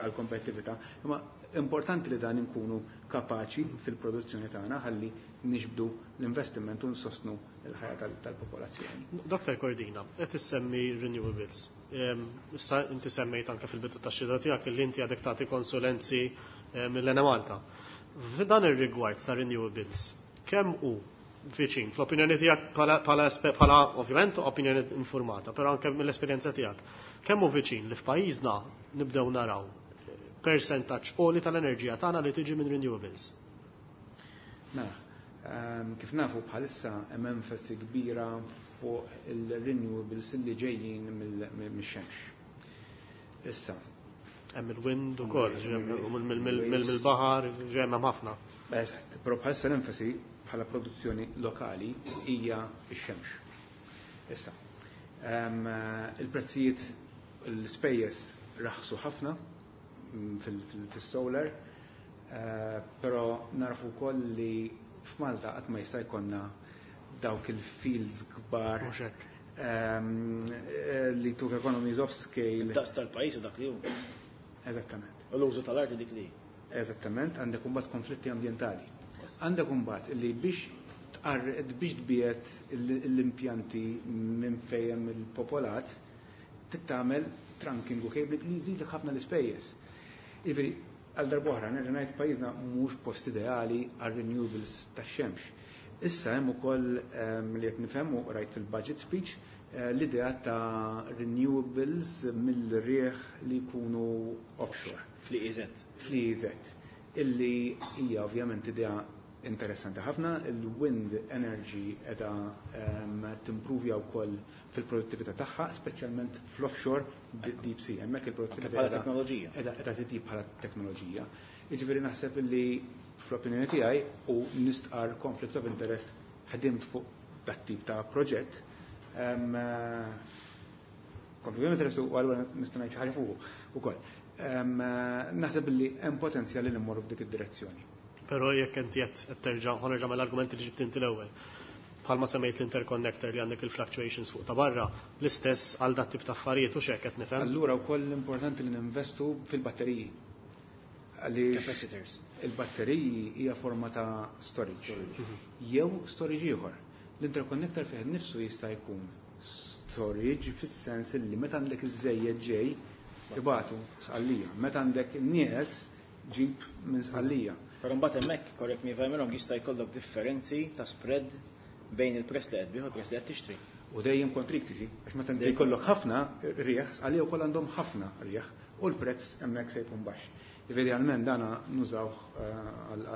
għall-kompetittività, imma importanti li dan inkunu kapaċi fil-produzzjoni tagħna ħalli nixbdu l-investiment u nsostnu l-ħajja tal-popolazzjoni. Dr. Cordina, qed issemmi renewables. Issa inti semmejt anke fil-bidu tax-xhieda tiegħek li inti għadek tagħti konsulenzi mill-Enemalta. F'dan ir-rigward ta' renewables, kemm hu viċin, fl-opinjoni tiegħek bħala ovvjament opinjoni informata, però anke mill-esperjenza tiegħek, kemm hu viċin li f'pajjiżna nibdew naraw percentaġġ għoli tal-enerġija tagħna li tiġi minn renewables? Mela, kif nafu bħalissa hemm enfasi kbira fuq il-renewables li ġejjin mix-xemx. Issa. Hemm il-wind ukoll, mill-baħar, ġej hemm ħafna. Eżatt, però bħalissa l-enfasi bħala produzzjoni lokali hija x-xemx. Issa, il-prezzijiet l-ispejjeż raħsu ħafna fil-solar, però narfu wkoll li f'Malta qatt ma jista' jkollna dawk il-fields kbar li tuk economies of scale. Daqs tal-pajjiż u dak li hu. Eżattament. U l-użu tal-art dik li. Eżattament, għandek imbagħad konflitti ambjentali. Għandek imbagħad li biex biex tbiet l-impjanti minn fejn il-popolat tittamel trunking u cabling li jżidlek ħafna l-ispejjeż. Jiġifieri, għal darb'oħra nerġa' ngħid pajjiżna mhux post ideali għal renewables tax-xemx. Issa hemm ukoll li qed nifhem u rajt fil-budget speech l-idea ta' renewables mill-rieħ li jkunu offshore. Fl-E Z. Fl-E Z. Illi hija ovvjament idea interessanti ħafna, il-wind energy edha timpruvja wkoll fil-produttività tagħha, speċjalment fl-offshore deep sea. Hemmhekk il-produttività bħala teknoloġija. Edha edha titjib bħala teknoloġija. Jiġifieri naħseb li fl-opinjoni tiegħi u nistqar conflict of interest ħdimt fuq dat tip ta' proġett. Conflict of interest u allura nista' ngħid xi ħaġa fuq ukoll. Naħseb li hemm potenzjal li mmorru f'dik id-direzzjoni. Però jekk inti qed terġa' ħa nerġa' mill-argumenti li ġibt inti l-ewwel. Bħalma semmejt l-interconnector li għandek il-fluctuations fuq ta' barra, l-istess għal dat tip ta' affarijiet u x'hekk qed nifhem. Allura wkoll importanti li ninvestu fil-batteriji. Għaliex Capacitors. Il-batteriji hija forma ta' storage. Jew storage ieħor. L-interconnector fih nifsu jista' jkun storage fis-sens li meta għandek iż-żejjed ġej ibatu Sqallija. Meta għandek nieqes ġib minn Sqallija. Però mbagħad hemmhekk, correct me if I'm wrong, jista' jkollok differenzi ta' spread bejn il-prezz li qed tbigħ u l-prezz li qed tixtri. U dejjem kontriktiġi, għax meta inti jkollok ħafna rieħ, Sqallija wkoll għandhom ħafna rieħ u l-prezz hemmhekk se jkun baxx. Idealment dana nużawh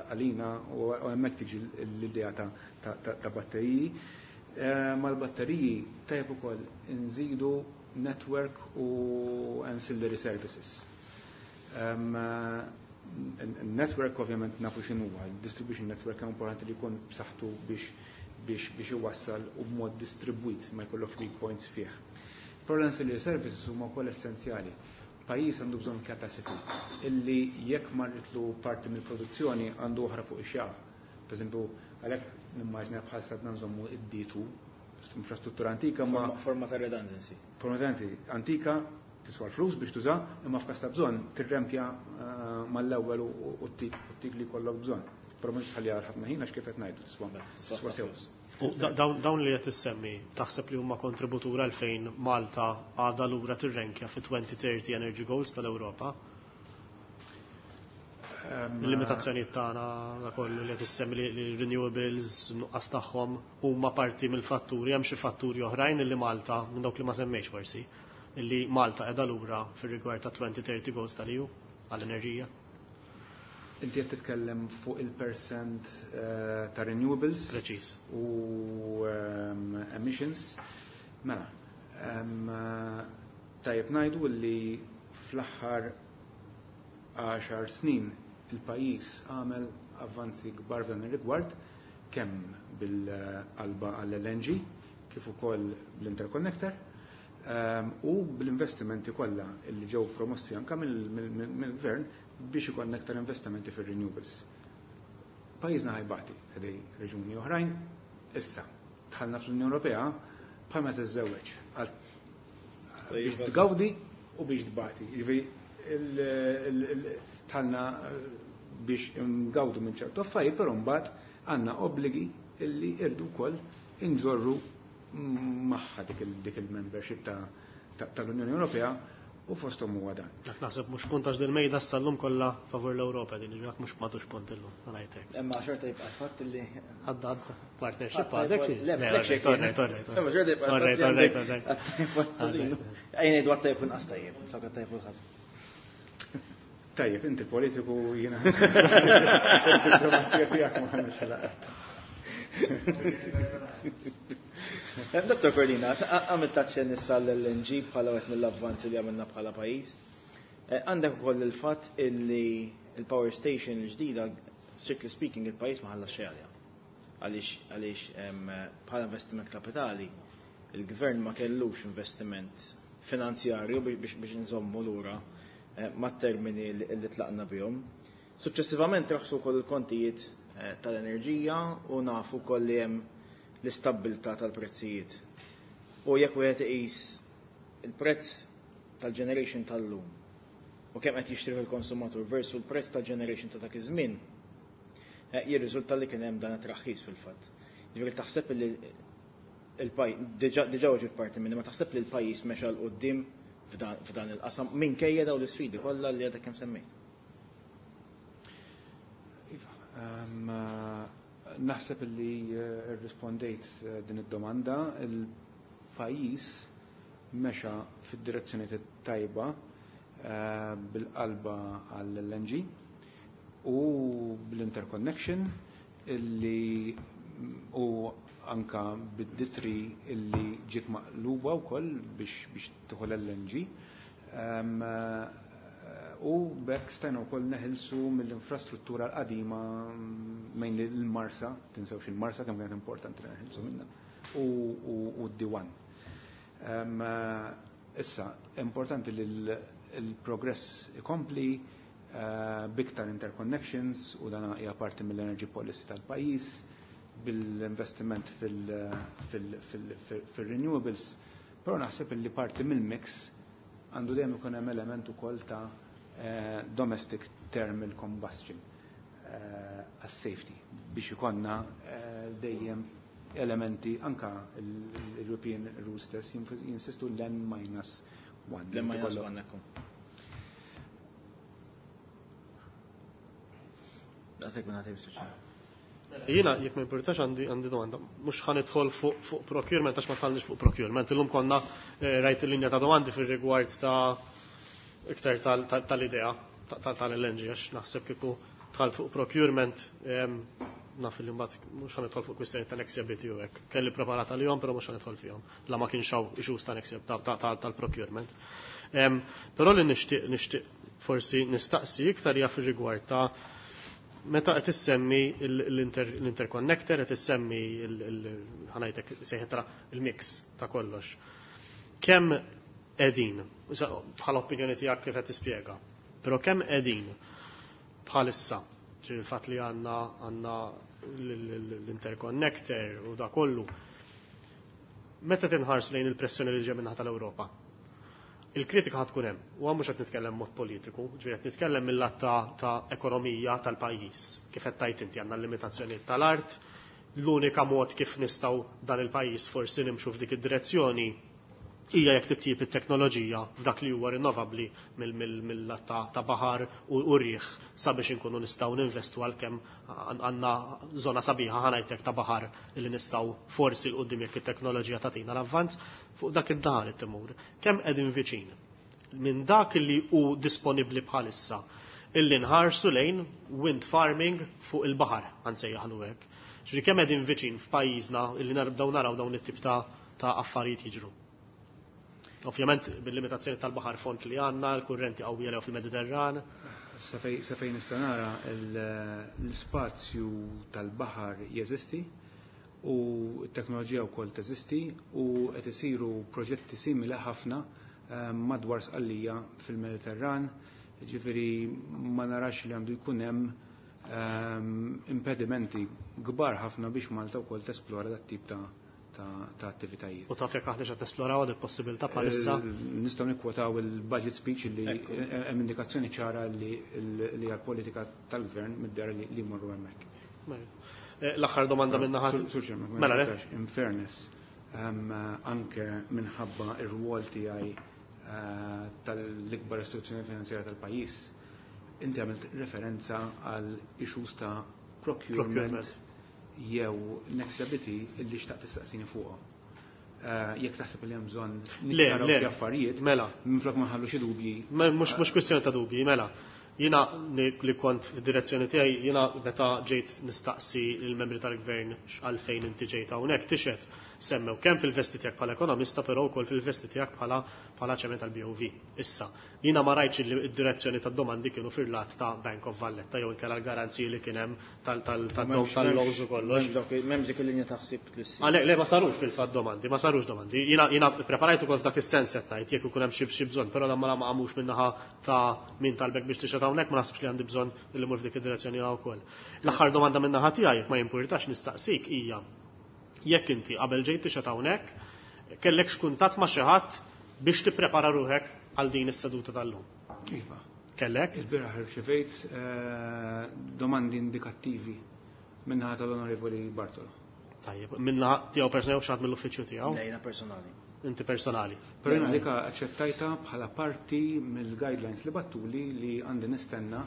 għalina u hemmhekk tiġi l-idea ta' batteriji. Mal-batteriji tajjeb ukoll nżidu network u ancillary services. Network ovvjament nafu x'inhuwa, il-distribution network hemm importanti li jkun b'saħħtu biex biex biex iwassal u b'mod distribwit ma jkollokx weak points fih. Però l-ancillary services huma wkoll essenzjali. Pajjiż għandu bżonn capacity illi jekk marritlu parti mill-produzzjoni għandu oħra fuq ix-xagħa. Per eżempju, għalhekk nimmaġina bħal sadna nżommu id-D two, infrastruttura antika ma Forma ta' redundancy. Forma ta' antika tiswa l-flus biex tuża, imma f'każ ta' bżonn tirrempja mal-ewwel u t-tik li jkollok bżonn. Però mhux tħalli għal ħafna ħin għax kif qed ngħidu tiswa tiswa sew. U dawn li qed issemmi, taħseb li huma kontributur għalfejn Malta għadha lura tirrenkja fi twenty thirty Energy Goals tal-Ewropa? Il-limitazzjonijiet tagħna da kollu li qed issemmi li renewables nuqqas tagħhom huma parti mill-fatturi, hemm xi fatturi oħrajn illi Malta minn dawk li ma semmejx forsi, illi Malta qiegħda lura fir-rigward ta' twenty thirty goals tal-E U għall-enerġija. Inti qed titkellem fuq il-percent ta' renewables. Preċiż. U emissions. Mela, tajjeb ngħidu li fl-aħħar għaxar snin il-pajjiż għamel avvanzi kbar f'dan ir-rigward, kemm bil-qalba għall-L N G, kif ukoll bl-interconnector, u bl-investimenti kollha li ġew promossi anke mill-gvern biex ikollna aktar investimenti fir-renewables. Pajjiżna ħajbati ħdej reġuni oħrajn, issa dħalna fl-Unjoni Ewropea bħal ma tiżżewweġ Biex tgawdi u biex tbati. Jiġifieri dħalna biex ngawdu minn ċertu affarijiet, però mbagħad għandna obbligi illi irdu wkoll inġorru magħha dik il-membership tal-Unjoni Ewropea u fosthom huwa dan. Dak naħseb mhux punt għax dil-mejda sal-lum kollha favur l-Ewropa din, dak mhux m'għadux punt illum, ngħidlek. Imma xorta jibqa' fatt li għadda għadda partnership għadek xi. Le, Imma xorta jibqa' Ejja ngħidu għat-tajjeb u nqas tajjeb, flok għat-tajjeb u l-ħażin. Tajjeb, inti politiku jiena. Diplomazija tiegħek ma ħanux ħalaqat. Dottor Cordina, għamilt taċċen issa l-L N G bħala wieħed mill-avvanzi li għamilna bħala pajjiż. Għandek ukoll il-fatt illi il-power station il-ġdida, strictly speaking, il-pajjiż ma ħallas xejn għaliha. Għaliex għaliex bħala investiment kapitali, il-gvern ma kellux investiment finanzjarju biex biex nżommu lura mat-termini li tlaqna bihom. Suċċessivament raħsu wkoll il-kontijiet tal-enerġija u nafu wkoll li hemm l-istabbiltà tal-prezzijiet. U jekk wieħed iqis il-prezz tal-generation tal-lum u kemm qed jixtri il-konsumatur versu l-prezz tal-generation ta' dak iż-żmien, jirriżulta li kien hemm dan it-traħħis fil-fatt. Ġifieri taħseb li il-pajjiż diġà weġibt parti minni, ma taħseb li l-pajjiż mexa 'l quddiem f'dan il-qasam minkejja dawn l-isfidi kollha li għadek kemm semmejt? Iva, naħseb li rrispondejt din id-domanda. Il-pajjiż mexa fid-direzzjoni tajba bil-qalba għall-L N G u bl-interconnection illi u anka bid-D three illi ġiet maqluba wkoll biex biex tidħol L N G. U b'hekk stajna wkoll neħilsu mill-infrastruttura l-qadima mainly l-Marsa, tinsewx il-Marsa kemm kienet importanti li neħilsu minnha, u d-D one. Issa, importanti li l-progress ikompli biktar interconnections u dan hija parti mill-energy policy tal-pajjiż, bil-investiment fil-renewables, però naħseb li parti mill-mix għandu dejjem ikun hemm element ukoll ta' domestic thermal combustion għas-safety biex ikonna dejjem elementi anka l-European rules stess jinsistu l-N minus one. L-N minus one, ekku. Daqshekk minn ħatib speċjali. Jiena, jekk ma importax, għandi għandi domanda. Mhux ħa nidħol fuq fuq procurement għax ma dħalniex fuq procurement. Illum konna rajt il-linja ta' domandi fir-rigward ta' iktar tal-idea tal-L N G, għax naħseb kieku dħalt fuq procurement, naf li mbagħad mhux ħa nidħol fuq kwistjoni ta' Nexia B T u hekk. Kelli preparata lihom, però mhux ħa nidħol fihom. La ma kienx hawn issues ta' Nexia tal-procurement. Però li nixtieq nixtieq forsi nistaqsi iktar hija fir-rigward ta' meta qed issemmi l-interconnector, qed issemmi ħa ngħidlek sejħetra il-mix ta' kollox. Kemm qegħdin, bħala opinjoni tiegħek kif qed tispjega, però kemm qegħdin bħalissa, il-fatt li għandna għandna l-interconnector u da kollu, meta tinħars lejn il-pressjoni li ġej minnaħa tal-Ewropa? Il-kritika ħad tkun hemm, u mhux qed nitkellem mod politiku, ġifieri qed nitkellem mill-lat ta' ekonomija tal-pajjiż. Kif qed tajt inti, għandna l-limitazzjonijiet tal-art, l-unika mod kif nistgħu dan il-pajjiż forsi nimxu f'dik id-direzzjoni hija jekk titjib it-teknoloġija f'dak li huwa rinnovabbli mill-lat ta' baħar u rieħ sabiex inkunu nistgħu ninvestu, għalkemm għandna żona sabiħa, ħa ngħidlek, ta' baħar li nistgħu forsi 'l quddiem jekk it-teknoloġija tagħtina l-avvanz fuq dak id-daħal it-timur. Kemm qegħdin viċin minn dak li hu disponibbli bħalissa illi nħarsu lejn wind farming fuq il-baħar, ħa nsejjaħlu hekk? Ġifieri kemm qegħdin viċin f'pajjiżna illi narbdaw naraw dawn it-tip ta' ta' affarijiet jiġru? Ovvjament bil-limitazzjoni tal-baħar font li għandna, l-kurrenti qawwija fil-Mediterran. Sa fejn nista' nara, l-spazju tal-baħar jeżisti u t-teknoloġija wkoll teżisti u qed isiru proġetti simili ħafna madwar Sqallija fil-Mediterran, ġifieri ma narax li għandu jkun hemm impedimenti kbar ħafna biex Malta wkoll tesplora dat tip ta' ta' attivitajiet. U taf jekk aħna qed nesploraw għad il-possibilità bħalissa? Nistgħu nikkwotaw il-budget speech li hemm indikazzjoni ċara li għall-politika tal-gvern mid-dehra li jmorru hemmhekk. L-aħħar domanda minn naħa. Mela le. In fairness, anke minħabba ir-rwol tiegħi tal-ikbar istituzzjoni finanzjarja tal-pajjiż, inti għamilt referenza għal issues ta' procurement jew Nexia B T illi xtaqt tistaqsini fuqha. Jekk taħseb li hemm bżonn niċċaraw xi affarijiet, mela. Minflok ma nħallu xi dubji. Mhux mhux kwistjoni ta' dubji, mela. Jiena li kont fid-direzzjoni tiegħi, jiena meta ġejt nistaqsi il-membri tal-gvern għalfejn inti ġejt hawnhekk tixed semmew kemm fil-vesti tiegħek bħala ekonomista, però wkoll fil-vesti tiegħek bħala bħala chairman tal-B O V. Issa, jiena ma rajtx li d-direzzjoni tad-domandi kienu fil-lat ta' Bank of Valletta jew inkella l-garanziji li kien hemm tal-loans u kollox. M'hemmx dik il-linja ta' ħsieb li ssir. Għalhekk le ma sarux fil-fatt domandi, ma sarux domandi. Jiena jiena preparajt ukoll f'dak is-sens qed ngħid jekk ikun hemm xi xi bżonn, però ma ma qamux min-naħa ta' min talbek biex tixgħod hawnhekk, ma naħsibx li għandi bżonn li mmur f'dik id-direzzjoni wkoll. L-aħħar domanda min-naħa tiegħi jekk ma jimpurtax nistaqsik hija jekk inti qabel ġejt tixgħod hawnhekk kellek x'kuntatt ma' xi ħadd biex tipprepara ruħek għal din is-seduta tal-lum. Iva. Kellek? Il-bieraħ irċevejt domandi indikattivi min-naħa tal-Onorevoli Bartolo. Tajjeb, min-naħa tiegħu personali u xi ħadd mill-uffiċċju tiegħu? Le, jiena personali. Inti personali. Però jiena dika aċċettajta bħala parti mill-guidelines li battuli li għandi nistenna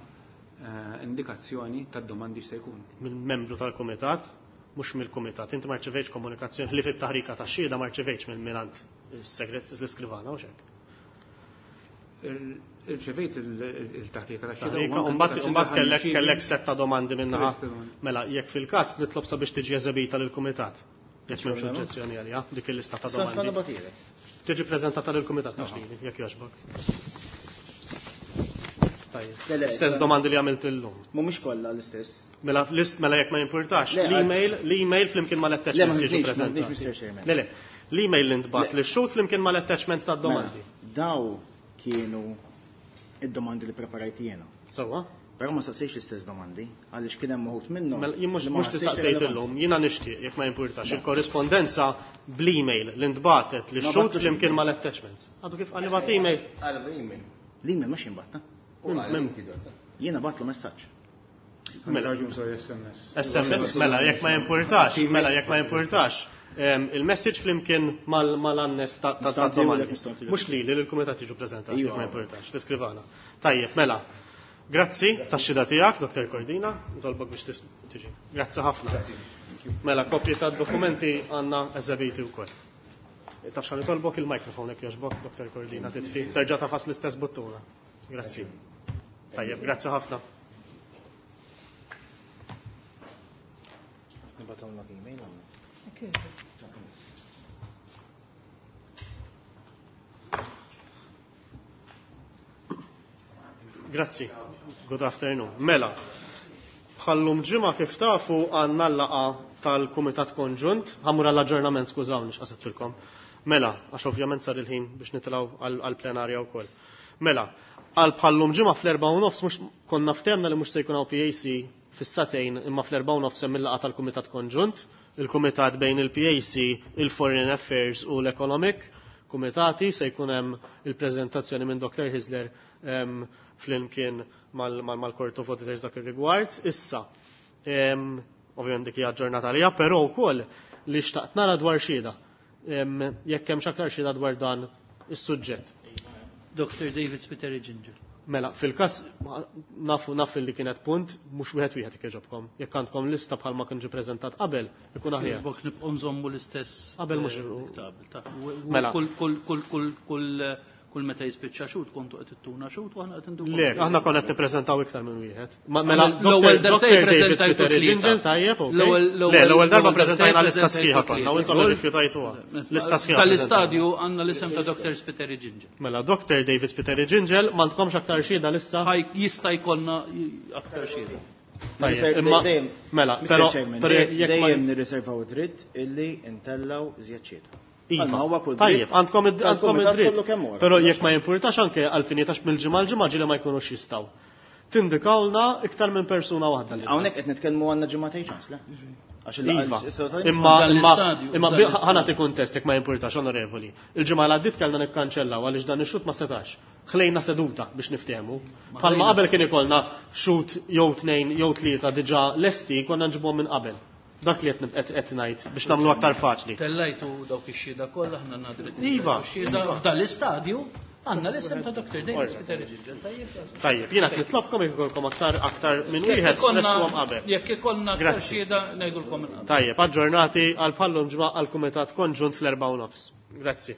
indikazzjoni tad-domandi x'se jkun. Minn membru tal-kumitat, mhux mill-kumitat. Inti ma rċevejtx komunikazzjoni li fit-taħrika tax-xhieda ma rċevejtx minn minant is-segret l-iskrivana u x'hekk. Irċevejt il-taħrika tax-xhieda. Taħrika, u mbagħad, u mbagħad kellek, kellek setta domandi minnaħa. Mela, jekk fil-każ nitlob sabiex tiġi eżebita lill-kumitat. Jekk m'hemmx oġġezzjoni għaliha, dik il-lista ta' domandi. Tiġi preżentata lill-kumitat mhux lili, jekk jogħġbok. Tajjeb. Le, le, Stess domandi li għamilt illum. Mhumiex kollha l-istess. Mela, list, mela jekk ma jimpurtax, Le, l-email, l-email flimkien mal-attachments Le, ma jiġu nidnix, ma preżentati. nidnix, Mister Chairman. Le, le, l-email li ntbagħat Le. li xhud flimkien mal-attachments tad-domandi. Mela, daw kienu id-domandi li preparajt jiena. Sewwa? Però ma saqsejx l-istess domandi, għaliex kien hemm uħud minnhom. Mela, jien mhux li ma mhux li ħassejtx saqsejt relevanti. illum, jiena nixtieq jekk ma jimpurtax il-korrispondenza bl-email li ntbagħtet li Ma xhud battux flimkien email. mal-attachments. Għadu kif qalli bagħat email? Għal email. L-email mhux jinbatta. U Minn- għal minn- inti dota. Jiena bagħtlu messaġġ. Mela. Raġun sorry, S M S. S M S, mela, jekk ma jimpurtax, mela, jekk ma jimpurtax, em, il-message flimkien mal-, mal-annes ta', ta', ta' Nistgħu domandi. nagħtilu, nistgħu nagħtilu. Mhux li, li l-kumitat jiġu preżentati, Iva. jekk ma jimpurtax, l-iskrivana. Tajjeb, mela. Grazzi tax-xhieda tiegħek, Doktor Cordina, nitolbok biex tis-, tiġi. Grazzi ħafna. Grazzi. Mela, kopji tad-dokumenti għandna eżebiti wkoll. Taf x'għan nitolbok il-mikrofon jekk jogħġbok, Doktor Cordina, titfi. Terġa' tafas l-istess buttuna. Grazzi. Tajjeb, grazzi ħafna. Nibatawlek email għandna. Grazzi. Good afternoon. Mela, bħallum ġimgħa kif tafu għandna l-laqgħa tal-Kumitat Konġunt, ħammur għall-aġġornament, skużawni x'qasettilkom. Mela, għax ovvjament sar il-ħin biex nitilgħu għall-plenarja wkoll. Mela, għal bħallum ġimgħa fl-erbgħa u nofs mhux konna ftemna li mhux se jkun hawn P A C fis-satejn, imma fl-erbgħa u nofs hemm il-laqgħa tal-Kumitat Konġunt, il-Kumitat bejn il-P A C, il-Foreign Affairs u l-Economic Kumitati, se jkun hemm il-preżentazzjoni minn Doktor Hyzler, em, flimkien mal-, mal-, mal-Court of Auditors dak ir-rigward. Issa, em, ovvjament dik hija ġurnata għalija, però wkoll li xtaqt nara dwar xhieda. Em, jekk hemm x'aktar xhieda dwar dan is-suġġett. Doktor David Spiteri Gingell. Mela, fil-każ nafu naf li kienet punt, mhux wieħed wieħed jekk jogħġobkom. Jekk għandkom lista bħalma kien ġie preżentat qabel, ikun aħjar. Jogħġbok nibqgħu nżommu l-istess, Qabel mhux eh, tabel, ta' u-, u-, Mela. kull, kull, kull, kull, kull, kull meta jispiċċa xhud kontu qed ittuna xhud u aħna qed indukom. Le, aħna konna qed nippreżentaw iktar minn wieħed. Ma-, mela, L-ewwel Doktor darba David ppreżentajtu Spiteri tlieta. Gingell, tajjeb, ok. L-ewwel, Le, l-ewwel darba l-ewwel preżentajna darba lista sħiħa preżentajtu konna, u intom tlieta. irrifjutajtuha. Lista sħiħa Tal-istadju għandna l-isem ta' Doktor Spiteri Gingell. Mela, Doktor David Spiteri Gingell, m'għandkomx aktar xhieda lissa? Ħaj, jista' jkollna aktar xhieda. Tajjeb, imma Dejjem, mela, Mister però, Chairman, però jekk ma dejjem nirriservaw dritt illi ntellaw iżjed xhieda. Iva. Għalma huwa kull Tajjeb, dritt għandkom id-, għandkom tal-kumitat id-dritt. kollu kemm huwa. Però jekk ma jimpurtax anke għalfini tax mill-ġimgħa l-ġimgħa ġieli ma jkunux jistgħu. Tindikawlna iktar minn persuna waħda li Hawnhekk biss. qed nitkellmu għandna ġimgħatejn ċans, le? Iva, imma imma imma ħa nagħti kuntest jekk ma jimpurtax, onorevoli. Il-ġimgħa li għaddiet kellna nikkanċellaw għaliex dan ix-xhud ma setax. Ħlejna seduta biex niftehmu. Bħalma qabel kien ikollna xhud jew tnejn jew tlieta diġà lesti, konna nġibuhom minn qabel. Dak li qed qed ngħid biex nagħmlu aktar faċli. Tellajtu dawk ix-xhieda kollha, aħna għandna dritt. Iva. Xhieda f'dan l-istadju għandna l-isem ta' Doctor David Spiteri Gilgel. Tajjeb. Tajjeb, jiena qed nitlobkom jekk ikolkom aktar aktar minn wieħed resquhom qabel. Jekk ikollna aktar Grazzi. xhieda ngħidulkom minn qabel. Tajjeb, aġġornati għal bħallum ġimgħa għal kumitat konġunt fl-erba' u nofs. Grazzi.